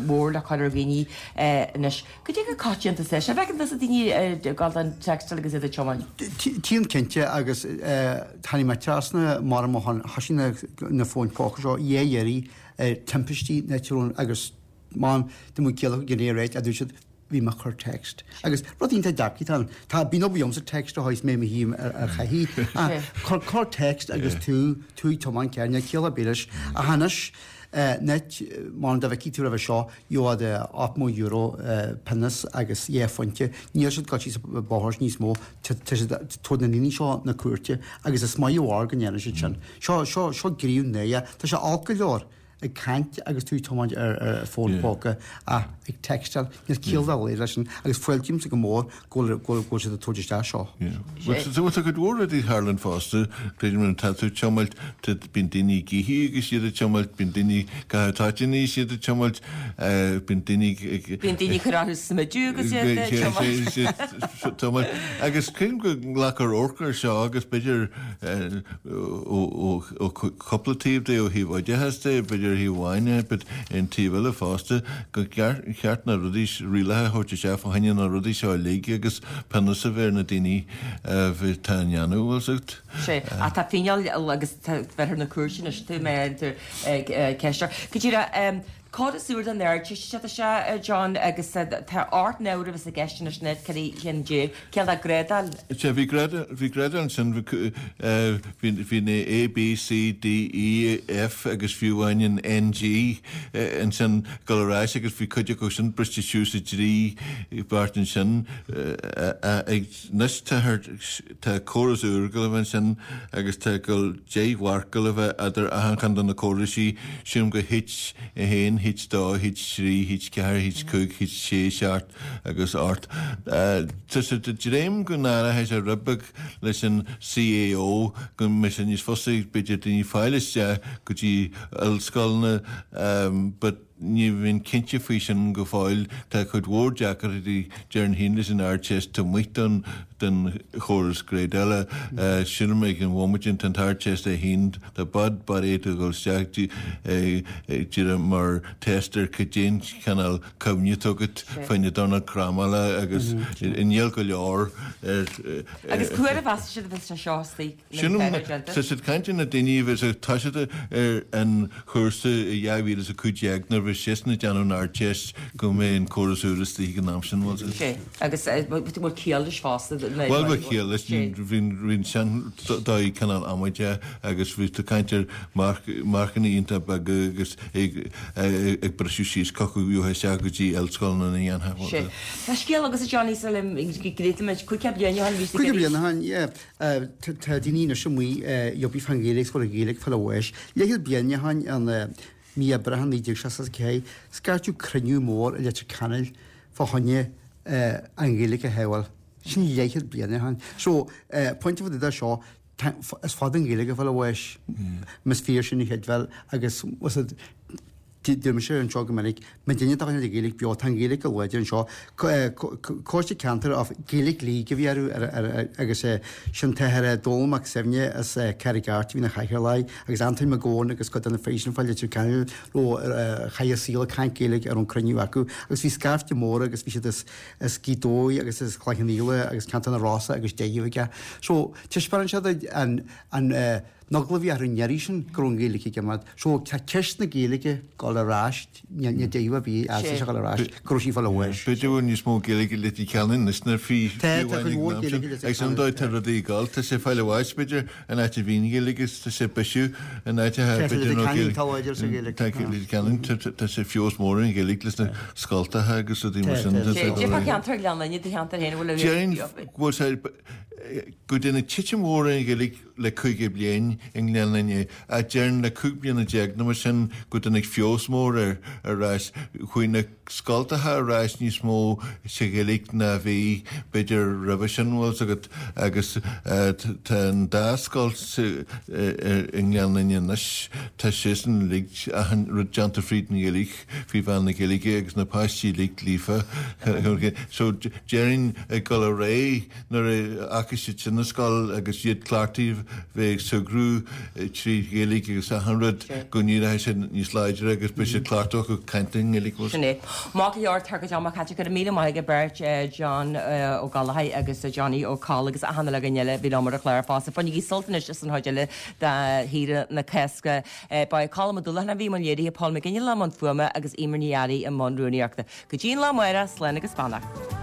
mhór le cur ar dhaoine anois. Go dtí go coitianta sé sé bheith an daoine gal an textáil agus iad ag tiomáint. Tchím cinnte agus tháinig mé trasna mar mo thoisigh na fóin póca seo dhé dheiridh timpistí natural agus man de mo chéile gné réit a dúirt siad bhí mé chur text. Agus rud iontach dearcaí tá tá bíonn obair sa text a tháis mé hím ar chaithí chur chur text agus tú tú tiomáint cearna chéile bílis a hanis net mar da bheith tú seo joad ocht euro pionós agus dhá phointe níl siad go bóthar níos mó tá na daoine seo na cúirte agus is maith bhar go ndéanann siad sin. Seo seo seo gríún néa Tá sé olc go leor ag caint agus tú tiomáint ar ar fón póca ach ag textáil níl ciall dá leis sin agus fáiltímse go mór go bhfuil go siad ag tabhairt isteach seo. So tá cuid mhór rudaí tharlann fosta Creidim tá tú tiomáint bíonn daoine gíthe agus siad ag tiomáint bíonn daoine go táitiní siad ag tiomáint bíonn daoine Bíonn daoine chur orthu smidiú agus iad ag tiomáint. tiomáint agus creidim go nglacfar amharc air seo agus b'fhéidir ó cúpla taobh de ó thaobh oideachas de b'fhéidir thaobh amháin but an taobh eile fosta go ceart na rudaí rialacha a thabhairt isteach fá choinne na rudaí seo uilig agus pionós a bheith ar na daoine tá a ndéanamh bhfuil Sé ach tá fíneáil agus bheith ar na cúirte anois tú mé ceiste. Go dtí Córas úr den Ardteist sé John agus tá ocht n-uair a gceist anois net ceithre cinn déag céard a grádáil. Sé bhí bhí grádáil ansin bhí na A B C D E F agus fiú amháin an N G ansin dul ar ais agus bhí cuid acu sin briste suas i dtrí beart ansin ag anois tá córas úr go bheith ansin agus tá go deich mharc go bheith idir achan cheann de na córaisí sin go H a haon H dó, H trí, H ceathair, H cúig, H sé, seacht agus ocht. Tá siad ag dréim go n-áirithe sé rud beag leis an CAO go mbeidh sé níos fusa b'fhéidir daoine fáil isteach go dtí ollscoileanna but ní bhíonn cinnte faoi sin go fóill. Tá cuid mhór deacrachtaí déarfainn féin leis an Ardteist taobh amuigh den den chóras grádála. Sílim ag an bhomaite tá an tArdteist é féin tá bad bad é do dhul isteach díreach mar test ar cad é an cineál cuimhne atá agat fá na Domhnach Crámála agus níl go leor ar Agus cá huair a mheasann siad a bheas sé seo istigh Sílim tá siad caint ar na daoine a bheas ag toiseacht ar an chúrsa i dhá mhíle is a cúig déag nuair a bheas siadsan ag déanamh an Ardteist go mbeidh an córas úr istigh ag an am sin, bhfuil Sé, agus bhfuil ciall leis fosta? Bhuel bheadh ciall leis, bhí an sean-dóigh cineál amaideach agus bhí tú caint ar marcanna iontach beaga agus ag briseadh síos chucu isteach go dtí ollscoileanna na dhéanfadh. Sé. Tá scéal agatsa Johnny sula ngréataimid cúig bliana ó shin bhí Cúig bliana ó shin, yeah. Tá daoine anois amuigh ag obair fán Ghaeilge is go bhfuil an Ghaeilge ag fáil bháis. Leathchéad bliain ó shin in mí Aibreáin naoi déag seasca a ceathair, scairteadh cruinniú mór i Leitir Ceanainn fá choinne an Ghaeilge a shábháil. Sin leathchéad bliain ó shin. So, pointe fá dtaobh de seo, is fada an Ghaeilge ag fáil bháis, más fíor sin a chreidbheáil agus deir mise anseo go minic, má duine dá choinne Gaeilge beo, tá an Ghaeilge go láidir anseo. Coiste Ceantair of Gaelic League a bhí orthu agus sin t-athair Dónall Mac Suibhne as Carraig Airt a bhí ina chathaoirleach agus Antoin Mac Gabhann agus cuid de na fir sin fá Leitir Ceanainn raibh chaith a saol ag caint Gaeilge ar an cruinniú acu agus bhí scaifte mór agus bhí siad as as Gaoth Dobhair agus as Cloich Cheann Fhaola agus Ceantar na Rosa agus deich aige. So taispeánann sé duit an an an eagla a bhí orthu an iarraidh sin go raibh an Ghaeilge ag imeacht. So tá ceist na Gaeilge ag dul ar ais, ní dóigh a bhí as ag dul ar ais, go raibh sí ag fáil bháis. B'fhéidir go bhfuil níos mó Gaeilge i Leitir Ceanainn anois ná fiú Tá, tá cuid mhór Gaeilge i Leitir Agus an dóigh tá rudaí ag dul, tá sé ag fáil bháis b'fhéidir in áit a bhí an Ghaeilge agus tá sé ag bisiú in áit a Tá b'fhéidir Leitir nó Ceanainn, tá láidir sa Ghaeilge. Tá Leitir Ceanainn, tá sé feabhas mór ar an Ghaeilge leis na scoltacha agus rudaí mar sin. Tá, tá ceantar Ghleann Fhinne, do cheantar féin a bhfuil a Déarfainn go bhfuil sé go dtáinig titim mhór ar an Ghaeilge le caoga bliain i nGleann Fhinne, ach déarfainn le cúig bliana déag nó mar sin go dtáinig feabhas mór air ar ais. Chuaigh na scoltacha ar ais níos mó sa Ghaeilge ná a bhí, b'fhéidir, roimhe sin, bhfuil 's agat, agus tá an dá scoil i nGleann Fhinne anois, tá siadsan uilig, achan rud déanta fríd an Ghaeilge, faoi mheán na Gaeilge agus na páistí uilig líofa. So déarfainn ag dul ar aghaidh nuair a fhágfaidh siad sin an scoil agus iad cleachtaithe bheith ag súgradh trí Ghaeilge agus achan rud go n-éireoidh siad níos láidre agus beidh siad cleachtach ag caint i nGaeilge. Sin é. Maith go leor, tá go deo caite. Go raibh míle maith ag beirt John Ó Gallchóir agus Johnny Ó Coll agus achan uile dhuine eile a bhí liom ar an chlár fosta. Bainigí sult anois as an chuid eile de shaoire na Cásca. Ba é Colm Ó Dúlacháin a bhí i mbun léirithe, Paul Mac Fhionnghaile i mbun fuaime agus Eimear Ní Fhearraigh i mbun rúnaíochta. Go dtí an lá amárach, slán agus beannacht.